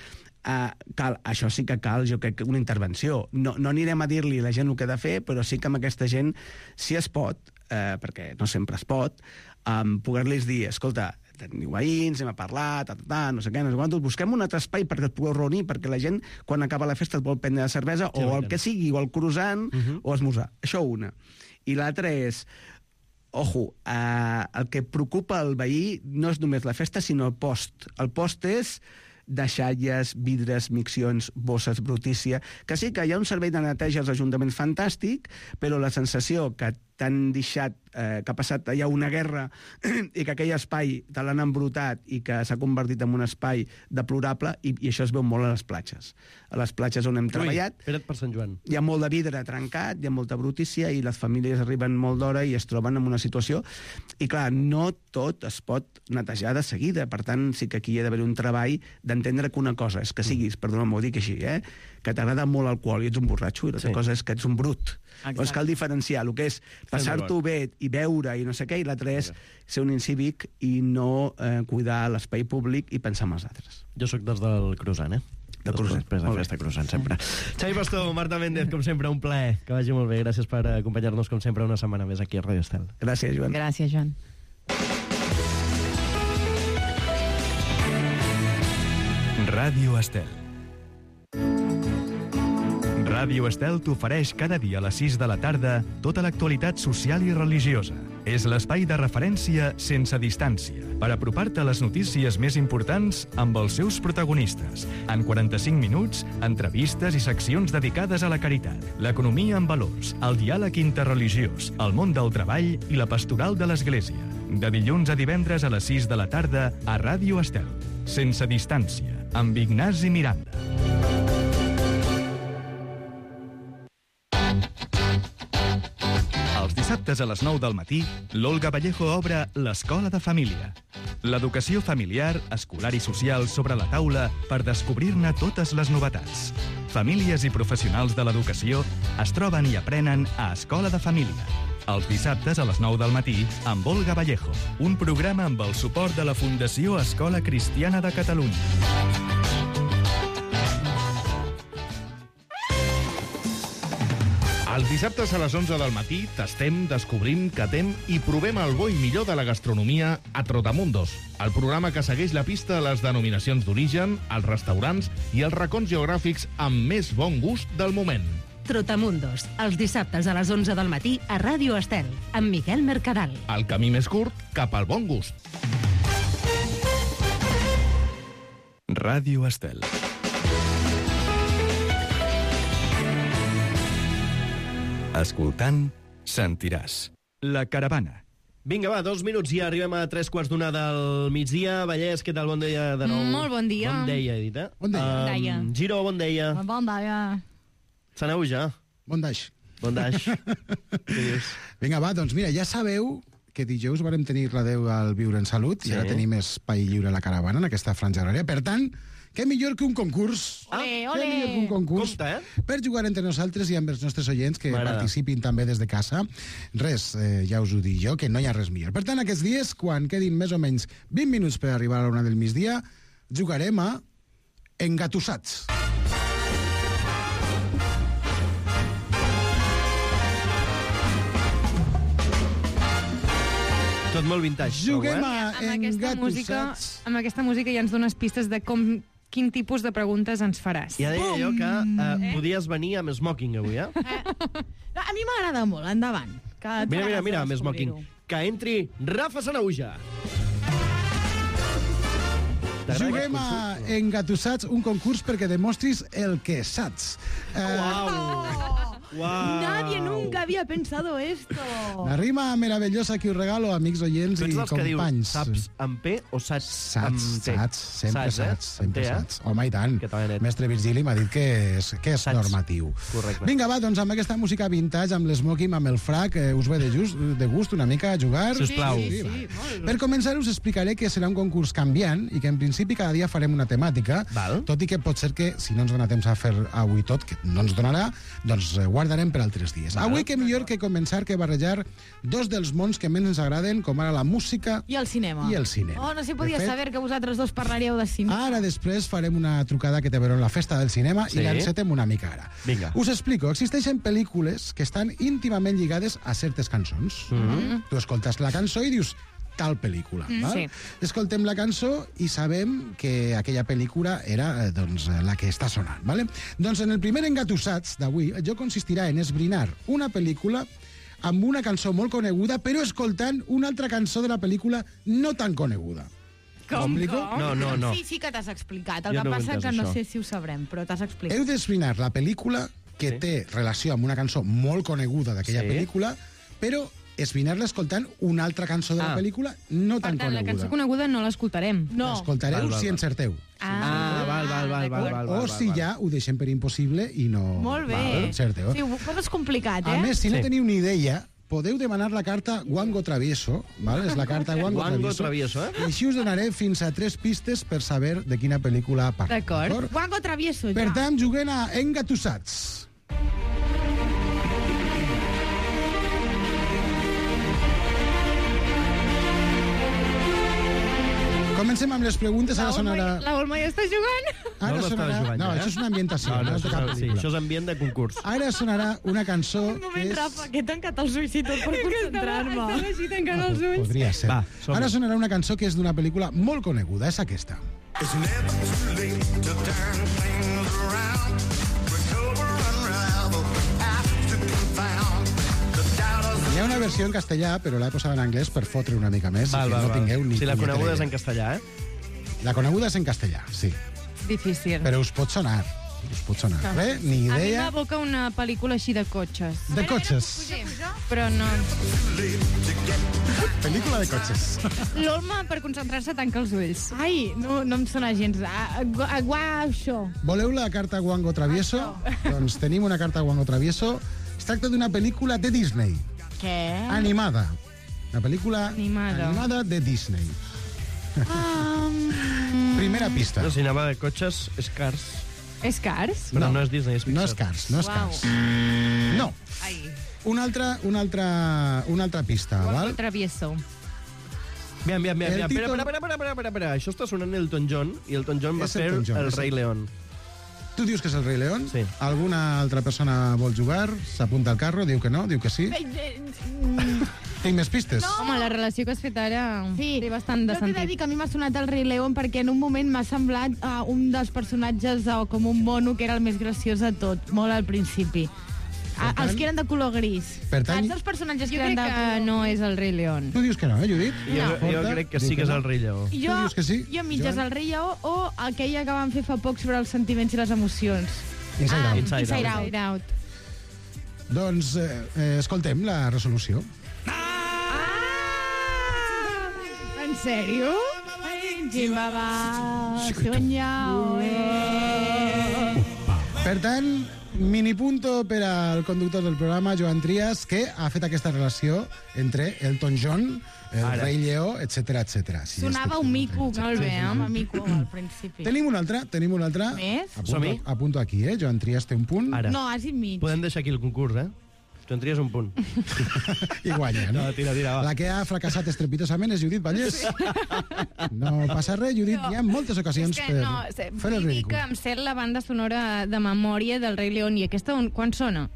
Uh, cal, això sí que cal, jo crec, una intervenció. No, no anirem a dir-li a la gent el que ha de fer, però sí que amb aquesta gent, si es pot, uh, perquè no sempre es pot, um, poder-los dir, escolta, teniu veïns, anem a parlar, ta, ta, ta, no sé què, no sé quantos, busquem un altre espai perquè et pugueu reunir, perquè la gent, quan acaba la festa, et vol prendre la cervesa, sí, o el que sigui, o el croissant, uh -huh. o esmorzar. Això una. I l'altra és, ojo, eh, el que preocupa el veí no és només la festa, sinó el post. El post és deixalles, vidres, miccions, bosses, brutícia, que sí que hi ha un servei de neteja als ajuntaments fantàstic, però la sensació que t'han deixat, eh, que ha passat allà una guerra i que aquell espai te l'han embrutat i que s'ha convertit en un espai deplorable, i, i això es veu molt a les platges. A les platges on hem Ui, treballat espera't per Sant Joan. Hi ha molt de vidre trencat, hi ha molta brutícia i les famílies arriben molt d'hora i es troben en una situació, i clar, no tot es pot netejar de seguida, per tant sí que aquí hi ha d'haver un treball d'entendre que una cosa és que siguis, perdona, m'ho dic així, eh, que t'agrada molt l'alcohol i ets un borratxo, i l'altra sí. cosa és que ets un brut. Doncs cal diferenciar el que és passar-t'ho bé i beure i no sé què, i l'altre és ser un incívic i no eh, cuidar l'espai públic i pensar en els altres. Jo sóc dels del croissant, eh? Del croissant. Després de festa croissant, sempre. Xavi Pastor, Marta Méndez, com sempre, un plaer. Que vagi molt bé. Gràcies per acompanyar-nos, com sempre, una setmana més aquí a Ràdio Estel. Gràcies, Joan. Gràcies, Joan. Ràdio Estel. Ràdio Estel t'ofereix cada dia a les sis de la tarda tota l'actualitat social i religiosa. És l'espai de referència sense distància, per apropar-te a les notícies més importants amb els seus protagonistes. En quaranta-cinc minuts, entrevistes i seccions dedicades a la caritat, l'economia en valors, el diàleg interreligiós, el món del treball i la pastoral de l'Església. De dilluns a divendres a les sis de la tarda a Ràdio Estel. Sense distància, amb Ignasi Miranda. Els dissabtes a les nou del matí, l'Olga Vallejo obre l'Escola de Família. L'educació familiar, escolar i social sobre la taula per descobrir-ne totes les novetats. Famílies i professionals de l'educació es troben i aprenen a Escola de Família. Els dissabtes a les nou del matí amb Olga Vallejo, un programa amb el suport de la Fundació Escola Cristiana de Catalunya. Els dissabtes a les onze del matí tastem, descobrim, catem i provem el bo i millor de la gastronomia a Trotamundos, el programa que segueix la pista a les denominacions d'origen, els restaurants i els racons geogràfics amb més bon gust del moment. Trotamundos, els dissabtes a les onze del matí a Ràdio Estel, amb Miquel Mercadal. El camí més curt cap al bon gust. Ràdio Estel. Escoltant, sentiràs. La caravana. Vinga, va, dos minuts i ja arribem a tres quarts d'una del migdia. Vallès, què tal? Bon dia de nou. Molt bon dia. Bon dia, Edita. Bon dia. Bon dia. Um, Giro, bon dia. Bon dia. Sanauja. Bon daix. Bon daix. Què dius? Vinga, va, doncs mira, ja sabeu que dijous varem tenir l'adeu al Viure en Salut, sí. I ara tenim espai lliure a la caravana en aquesta franja horària. Per tant, què millor que un concurs? Ah, ole, ole. Què millor que un concurs? Compte, eh? Per jugar entre nosaltres i amb els nostres oients que participin també des de casa. Res, eh, ja us ho dic jo, que no hi ha res millor. Per tant, aquests dies, quan quedin més o menys vint minuts per arribar a la una del migdia, jugarem a Engatussats. Tot molt vintage. Juguem eh? a amb aquesta música, amb aquesta música ja ens dones pistes de com, quin tipus de preguntes ens faràs. Ja deia jo que uh, podies venir amb smoking avui, eh? eh? A mi m'agrada molt, endavant. Que mira, mira, mira, amb smoking. Que entri Rafa Sanauja. Juguem a Engatussats, un concurs perquè demostris el que saps. Wow. Wow. Nadie nunca había pensado esto. La rima meravellosa que us regalo, amics oients i companys. Que dius, saps amb P o saps, saps amb T? Saps, sempre saps, eh? saps, sempre T, eh? saps. Home, i tant. Mestre Virgili m'ha dit que és, que és normatiu. Correcte. Vinga, va, doncs amb aquesta música vintage, amb l'esmoking, amb el frac, eh, us ve de, just, de gust una mica a jugar? Sisplau. Sí, sí, sí, sí. Per començar, us explicaré que serà un concurs canviant i que en principi cada dia farem una temàtica, Val. tot i que pot ser que, si no ens dona temps a fer avui tot, que no ens donarà, doncs guardarem per altres dies. Val. Avui que millor que començar que barrejar dos dels mons que més ens agraden, com ara la música i el cinema. I el cinema. Oh, no s'hi podia fet, saber que vosaltres dos parlaríeu de cinema. Ara després farem una trucada que té a veure amb la festa del cinema sí. i l'encetem una mica ara. Vinga. Us explico. Existeixen pel·lícules que estan íntimament lligades a certes cançons. Mm-hmm. Tu escoltes la cançó i dius tal pel·lícula. Mm, val? Sí. Escoltem la cançó i sabem que aquella pel·lícula era doncs, la que està sonant. Vale? Doncs en el primer Engatussats d'avui, el joc consistirà en esbrinar una pel·lícula amb una cançó molt coneguda, però escoltant una altra cançó de la pel·lícula no tan coneguda. Com? Com? No, no, no. Sí, sí que t'has explicat. El jo que no passa entès, que no això. sé si ho sabrem, però t'has explicat. Heu d'esbrinar la pel·lícula que sí. té relació amb una cançó molt coneguda d'aquella sí. pel·lícula, però esbrinar-la escoltant una altra cançó de la ah. pel·lícula no tan per tant, coneguda. la cançó coneguda no l'escoltarem. No. L'escoltareu si encerteu. Ah, ah val, val, val, val, val, o val, si val. ja ho deixem per impossible i no... Molt bé. Val, encerteu. Sí, ho poses complicat, eh? A més, si no Sí. teniu ni idea, podeu demanar la carta Wango Travieso, val? És la carta Wango, Wango Travieso, Travieso, eh? i així us donaré fins a tres pistes per saber de quina pel·lícula parla. D'acord. Wango Travieso, ja. Per tant, juguem a Engatussats. Comencem amb les preguntes, ara sonarà... La Olma ja està jugant. Ara no sonarà... jugant, no, ja, eh? això és una ambientació. No, no, no és de cap això, sí, pel·lícula. això és ambient de concurs. Ara sonarà una cançó Un moment, que és... Rafa, que he tancat els ulls i tot per concentrar-me. Estava així tancant els ulls. Podria ser. Va, som-hi. Ara sonarà una cançó que és d'una pel·lícula molt coneguda, és aquesta. It's never too late to turn things around. Recover, unravel, have to confound. The doubters... Hi ha una versió en castellà, però l'he posada en anglès per fotre una mica més, Val, que val, no val. tingueu ni Si la punyetera coneguda és idea. en castellà, eh? La coneguda és en castellà, sí. Difícil. Però us pot sonar. Us pot sonar. Ah. Bé, ni A mi idea. m'evoca una pel·lícula així de cotxes. De cotxes. Però no... Pel·lícula de cotxes. L'Olma, per concentrar-se, tanca els ulls. Ai, no, no em sona gens. Aguaixo. Voleu la carta Wango Travieso? Doncs tenim una carta Wango Travieso. Es tracta d'una pel·lícula de Disney. Què? Animada. Una pel·lícula Animada. animada de Disney. Um... Primera pista. No, si anava de cotxes, és Cars. És Cars? Però no, no és Disney, és Pixar. No és Cars, no és Uau. Cars. No. Ai. Una altra, una altra, una altra pista, val? Travieso. Bien, bien, bien. El bien. títol- Espera, espera, espera, espera, espera, espera. Això està sonant Elton John, i Elton John va És fer Elton John, el és Rei el- León. Tu dius que és el Rei León? Sí. Alguna altra persona vol jugar? S'apunta al carro? Diu que no? Diu que sí? Tinc més pistes? No. Home, la relació que has fet ara Sí, té bastant de jo t'he de sentit. dir que a mi m'ha sonat el Rei León perquè en un moment m'ha semblat uh, un dels personatges uh, com un mono que era el més graciós de tot, molt al principi. A, tant- els que eren de color gris. Per tant- Saps els personatges Jo que eren crec de que color... no és el Rei León. Tu dius que no, eh, Judit? Jo, jo Porta, crec que diu sí que és no. el Rei Lleó. Tu Jo, dius que sí? jo mitges Joan? el Rei Lleó o aquella que van fer fa poc sobre els sentiments i les emocions. Inside Out. Inside Inside Out. Out. Inside Out. Doncs eh, eh, escoltem la resolució. En sèrio? Jimbaba, soñao, eh. Per tant, minipunto per al conductor del programa, Joan Trias, que ha fet aquesta relació entre Elton John, el Ara. Rei Lleó, etcètera, etcètera. Sí, Sonava estic un fent mico, un molt bé, sí, eh? sí, Un sí. mico al principi. Tenim un altre, tenim un altre. Més? Som-hi. Apunto, apunto aquí, eh? Joan Trias té un punt. Ara. No, has dit mig. Podem deixar aquí el concurs, eh? Tu en tries un punt. I guanya, no? No, tira, tira, va. La que ha fracassat estrepitosament és Judit Vallès. No passa res, Judit. Hi ha moltes ocasions És que per no, sé, fer el vull dir ridícul. que em sé la banda sonora de memòria del Rei León i aquesta on, quan sona?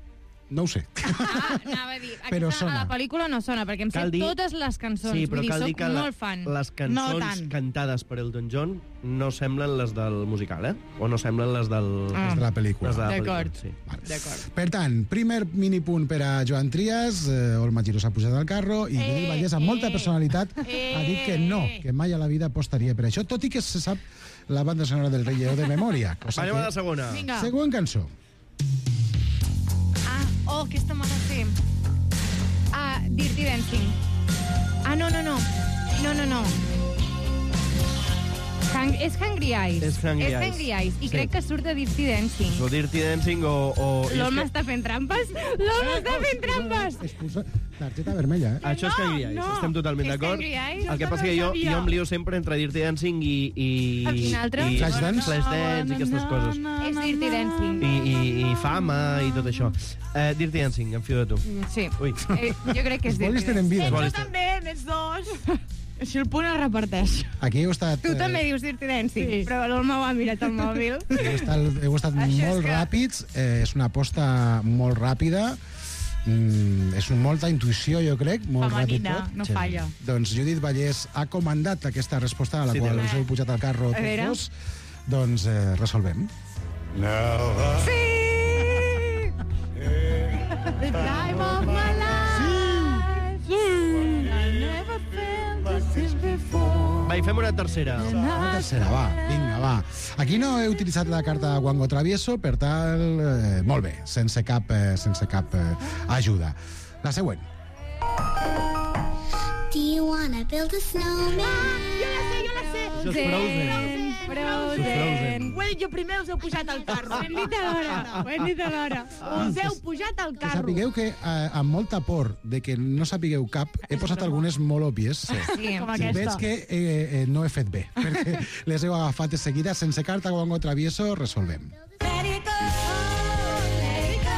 No ho sé. Ah, anava a dir, Però aquesta, a la pel·lícula no sona, perquè em sé Cal dir- totes les cançons. Sí, però Vull dir, cal dir soc que la, molt fan. les No cançons tant. cantades per Elton John no semblen les del musical, eh? O no semblen les del... Ah. Les de la pel·lícula. Les de la D'acord. pel·lícula, sí. D'acord. Per tant, primer minipunt per a Joan Trias, eh, Olma Giró s'ha pujat al carro i Lili Vallès, amb molta personalitat, ha dit que no, que mai a la vida apostaria per això, tot i que se sap la banda sonora del Rei Lleó de memòria. Anem a la segona. Vinga. Següent cançó. Ah, oh, aquesta me la sé. Ah, Dirty Dancing. Ah, no, no, no. No, no, no. Hang és Hungry Eyes. És Hungry és Eyes. Hungry Eyes. I Sí. crec que surt de Dirty Dancing. O Dirty Dancing o... o... i és L'home que- està fent trampes? L'home està fent trampes! Expulsa targeta vermella, eh? Això és Hungry Eyes, no. estem totalment És d'acord. Hungry Eyes? El que Això passa no que jo, sabia. jo em lio sempre entre Dirty Dancing i... i I quin altre? I Flashdance? Flashdance i aquestes coses. És Dirty Dancing. I, i, i fama i tot això. Uh, Dirty Dancing, em fio de tu. Sí. Ui. Eh, jo crec que és Els Dirty bolis tenen vida. Dancing. Bolis Tu també, més dos. Així el punt es reparteix. Aquí heu estat... Tu eh, també dius Dirty Dancing, sí. Però l'Olma ho ha mirat al mòbil. Heu estat, heu estat Això molt és que- ràpids, eh, és una aposta molt ràpida, mm, és un, molta intuïció, jo crec, molt ràpid Femenina, tot. no falla. Doncs Judit Vallès ha comandat aquesta resposta a la Sí, qual també. us heu pujat al carro A veure. tots dos. Doncs eh, resolvem. Sí! The time of my life. Sí! I never felt this before. Va, i fem una tercera. Una tercera, va, vinga, va. Aquí no he utilitzat la carta Guango Travieso, per tal, eh, molt bé, sense cap, eh, sense cap eh, ajuda. La següent. Do you wanna build a snowman? Jo la sé, jo la sé. Això és Frozen. Frozen. Frozen. Well, jo primer us heu pujat al carro. Ho hem dit alhora. Ho hem dit alhora. Us heu pujat al Que carro. sapigueu que, eh, amb molta por de que no sapigueu cap, he posat algunes molt òbvies. Sí. Sí, com I veig que eh, eh, no he fet bé, perquè les heu agafat de seguida. Sense carta Guango Travieso, resolvem. Let it go, let it go.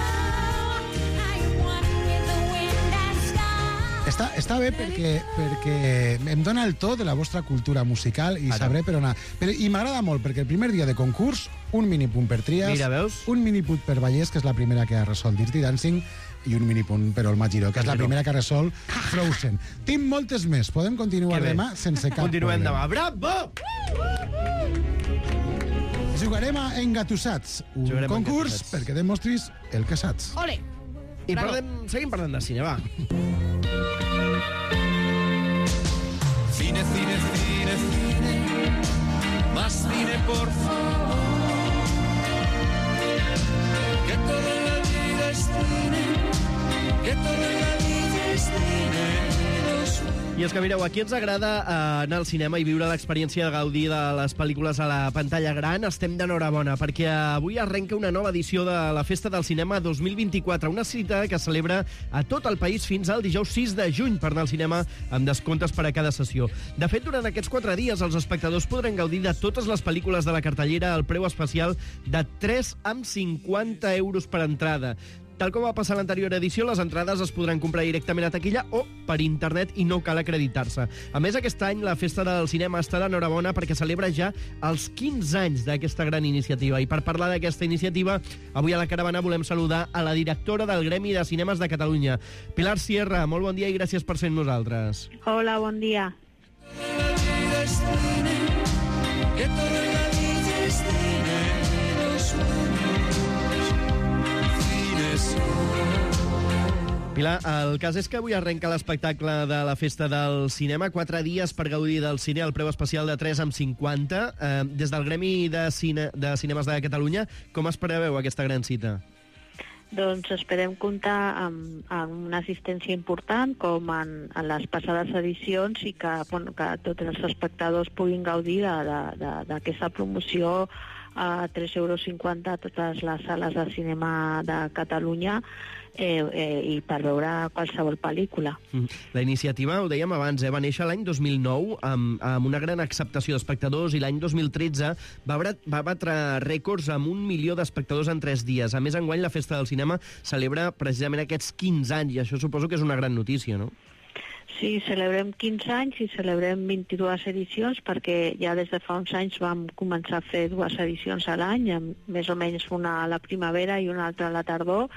I want with the wind and sky. Està, està bé perquè, perquè em dona el to de la vostra cultura musical i Ara. sabré per on anar. Però, I m'agrada molt, perquè el primer dia de concurs, un minipunt per Trias, Mira, veus? un minipunt per Vallès, que és la primera que ha resolt Dirty Dancing, i un minipunt per Olma Giró, que és la Giró. primera que ha resolt Frozen. Tinc moltes més, podem continuar Que bé. demà sense cap Continuem problema. demà. Bravo! Jugarem a Engatussats, un Jugarem a concurs Engatussats. perquè demostris el que saps. Ole. I parlem, seguim parlant de cine, va. Cine, cine, cine, cine. Más cine, por favor. Que todo en la vida es cine. Que todo en la vida es cine. Los I és que, mireu, aquí ens agrada eh, anar al cinema i viure l'experiència de gaudir de les pel·lícules a la pantalla gran. Estem d'enhorabona, perquè avui arrenca una nova edició de la Festa del Cinema dos mil vint-i-quatre, una cita que es celebra a tot el país fins al dijous sis de juny per anar al cinema amb descomptes per a cada sessió. De fet, durant aquests quatre dies, els espectadors podran gaudir de totes les pel·lícules de la cartellera al preu especial de tres coma cinquanta euros per entrada. Tal com va passar a l'anterior edició, les entrades es podran comprar directament a taquilla o per internet i no cal acreditar-se. A més, aquest any la Festa del Cinema està d'enhorabona perquè celebra ja els quinze anys d'aquesta gran iniciativa. I per parlar d'aquesta iniciativa, avui a la caravana volem saludar a la directora del Gremi de Cinemes de Catalunya, Pilar Sierra. Molt bon dia i gràcies per ser amb nosaltres. Hola, bon dia. vida es cine. Que todo en la vida es cine. Los sueños. Cine son. Pilar, el cas és que avui arrenca l'espectacle de la Festa del Cinema, quatre dies per gaudir del cine al preu especial de tres coma cinquanta. Eh, des del Gremi de, Cine, de Cinemes de Catalunya, com es preveu aquesta gran cita? Doncs esperem comptar amb, amb una assistència important com en, en les passades edicions i que, bueno, que tots els espectadors puguin gaudir d'aquesta promoció a tres euros cinquanta a totes les sales de cinema de Catalunya eh, eh, i per veure qualsevol pel·lícula. La iniciativa, ho dèiem abans, eh, va néixer l'any dos mil nou amb, amb una gran acceptació d'espectadors i l'any dos mil tretze va, batre, va batre rècords amb un milió d'espectadors en tres dies. A més, enguany la Festa del Cinema celebra precisament aquests quinze anys i això suposo que és una gran notícia, no? Sí, celebrem quinze anys i celebrem vint-i-dues edicions perquè ja des de fa uns anys vam començar a fer dues edicions a l'any, més o menys una a la primavera i una altra a la tardor,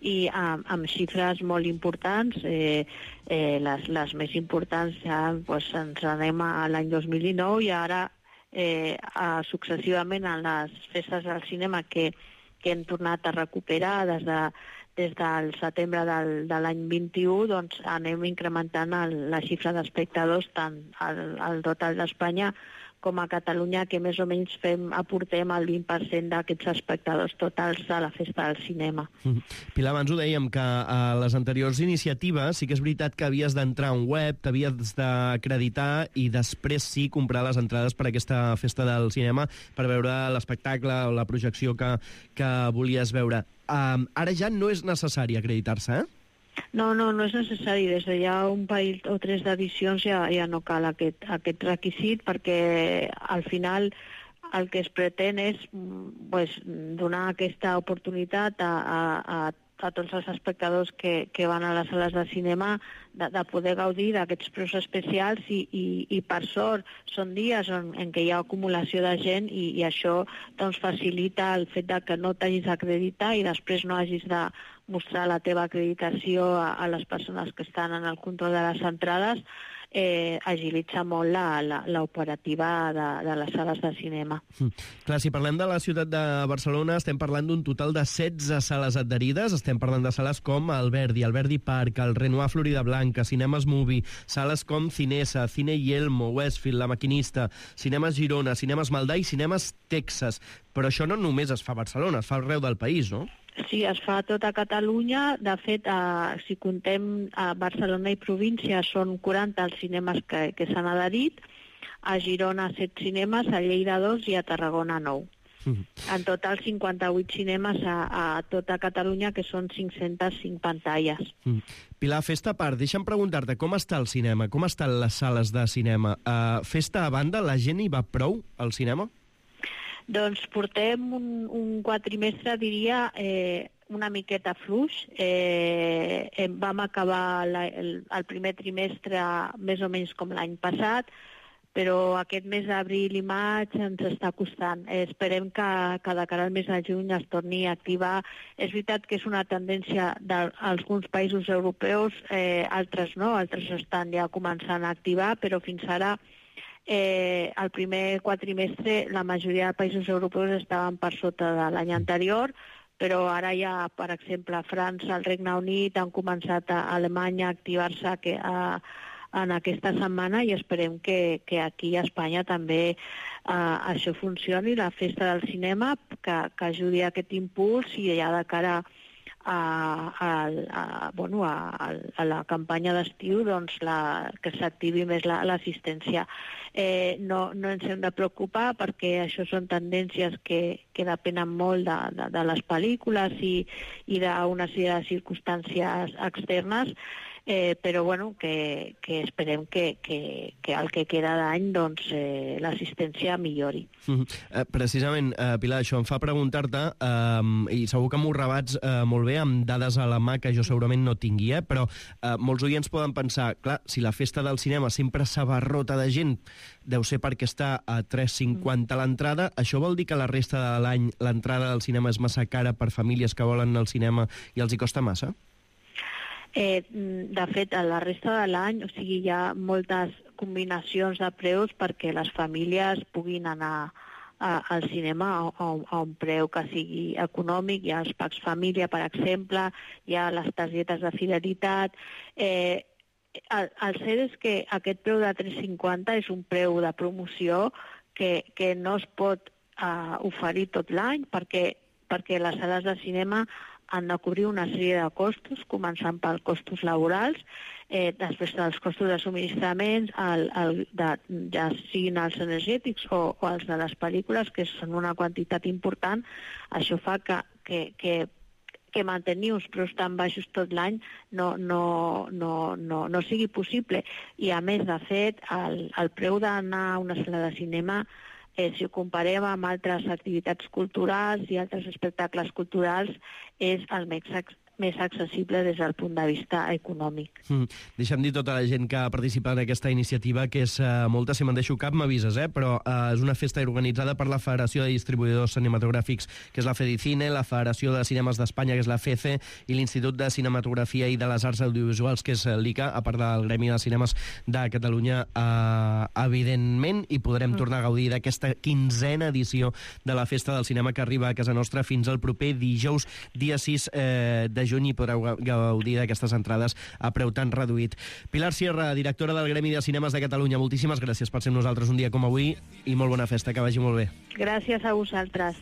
i amb, amb xifres molt importants. Eh, eh, les, les més importants ja pues, ens anem a l'any dos mil dinou i ara eh, a, successivament en les festes del cinema que, que hem tornat a recuperar des de des del setembre del, de l'any vint-i-u, doncs anem incrementant el, la xifra d'espectadors tant al, al total d'Espanya com a Catalunya, que més o menys fem, aportem el vint per cent d'aquests espectadors totals de la festa del cinema. Pilar, abans ho dèiem, que a les anteriors iniciatives sí que és veritat que havies d'entrar a un web, t'havies d'acreditar i després sí comprar les entrades per a aquesta festa del cinema per veure l'espectacle o la projecció que, que volies veure. Um, ara ja no és necessari acreditar-se, eh? No, no, no és necessari. Des de ja un parell o tres d'edicions ja, ja no cal aquest, aquest requisit perquè al final el que es pretén és pues, donar aquesta oportunitat a, a, a, a tots els espectadors que, que van a les sales de cinema de, de poder gaudir d'aquests preus especials i, i, i per sort són dies en, en què hi ha acumulació de gent i, i això doncs, facilita el fet de que no t'hagis d'acreditar i després no hagis de mostrar la teva acreditació a, a les persones que estan en el control de les entrades, eh, agilitza molt l'operativa de, de les sales de cinema. Mm. Clar, si parlem de la ciutat de Barcelona, estem parlant d'un total de setze sales adherides, estem parlant de sales com el Verdi, el Verdi Park, el Renoir Florida Blanca, Cinemes Movie, sales com Cinesa, Cine Yelmo, Westfield, La Maquinista, Cinemes Girona, Cinemes Maldà i Cinemes Texas. Però això no només es fa a Barcelona, es fa arreu del país, no? Sí, es fa a tota Catalunya. De fet, eh, si contem a Barcelona i província, són quaranta els cinemes que, que s'han adherit. A Girona, set cinemes, a Lleida, dos i a Tarragona, nou. Mm. En total, cinquanta-vuit cinemes a, a tota Catalunya, que són cinc-centes cinc pantalles. Mm. Pilar, festa a part, deixa'm preguntar-te com està el cinema, com estan les sales de cinema. Uh, festa a banda, la gent hi va prou al cinema? Doncs portem un, un quatrimestre, diria, eh, una miqueta fluix. Eh, vam acabar la, el, el primer trimestre més o menys com l'any passat, però aquest mes d'abril i maig ens està costant. Eh, esperem que, que de cara al mes de juny es torni a activar. És veritat que és una tendència d'alguns països europeus, eh, altres no, altres estan ja començant a activar, però fins ara Eh, el primer quatrimestre la majoria de països europeus estaven per sota de l'any anterior, però ara ja, per exemple, França, el Regne Unit han començat a Alemanya a activar-se que, a, en aquesta setmana i esperem que, que aquí a Espanya també uh, això funcioni, la festa del cinema, que, que ajudi a aquest impuls i ja de cara A, a, a, bueno, a, a la campanya d'estiu doncs la, que s'activi més l'assistència. La, eh, no, no ens hem de preocupar perquè això són tendències que, que depenen molt de, de, de les pel·lícules i, i d'una sèrie de circumstàncies externes, eh, però bueno, que, que esperem que, que, que el que queda d'any doncs, eh, l'assistència millori. Mm -hmm. eh, precisament, eh, Pilar, això em fa preguntar-te, eh, i segur que m'ho rebats eh, molt bé amb dades a la mà que jo segurament no tingui, eh, però eh, molts oients poden pensar, clar, si la festa del cinema sempre s'abarrota de gent, deu ser perquè està a tres cinquanta l'entrada, això vol dir que la resta de l'any l'entrada del cinema és massa cara per famílies que volen anar al cinema i els hi costa massa? Eh, de fet, a la resta de l'any, o sigui, hi ha moltes combinacions de preus perquè les famílies puguin anar a, al cinema a, a, a un preu que sigui econòmic. Hi ha els packs família, per exemple, hi ha les targetes de fidelitat. Eh, el, el cert és que aquest preu de tres cinquanta és un preu de promoció que, que no es pot uh, oferir tot l'any perquè, perquè les sales de cinema han de cobrir una sèrie de costos, començant pels costos laborals, eh, després dels costos de subministraments, el, el, de, ja siguin els energètics o, o els de les pel·lícules, que són una quantitat important. Això fa que, que, que, que mantenir uns preus tan baixos tot l'any no, no, no, no, no sigui possible. I a més, de fet, el, el preu d'anar a una sala de cinema, Eh, si ho comparem amb altres activitats culturals i altres espectacles culturals, és el més més accessible des del punt de vista econòmic. Mm. Deixa'm dir tota la gent que ha participat en aquesta iniciativa, que és uh, molta, si me'n deixo cap m'avises, eh? però uh, és una festa organitzada per la Federació de Distribuïdors Cinematogràfics, que és la Fedicine, la Federació de Cinemes d'Espanya, que és la FECE, i l'Institut de Cinematografia i de les Arts Audiovisuals, que és l'I C A, a part del Gremi de Cinemes de Catalunya, uh, evidentment, i podrem mm. tornar a gaudir d'aquesta quinzena edició de la Festa del Cinema, que arriba a casa nostra fins al proper dijous, dia sis eh, de juny, i podreu gaudir d'aquestes entrades a preu tan reduït. Pilar Sierra, directora del Gremi de Cinemes de Catalunya, moltíssimes gràcies per ser amb nosaltres un dia com avui i molt bona festa, que vagi molt bé. Gràcies a vosaltres.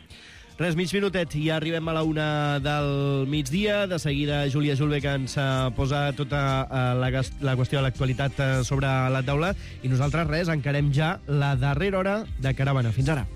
Res, mig minutet, i ja arribem a la una del migdia. De seguida, Júlia Julve, que ens posa tota la, la qüestió de l'actualitat sobre la taula, i nosaltres, res, encarem ja la darrera hora de Caravana. Fins ara.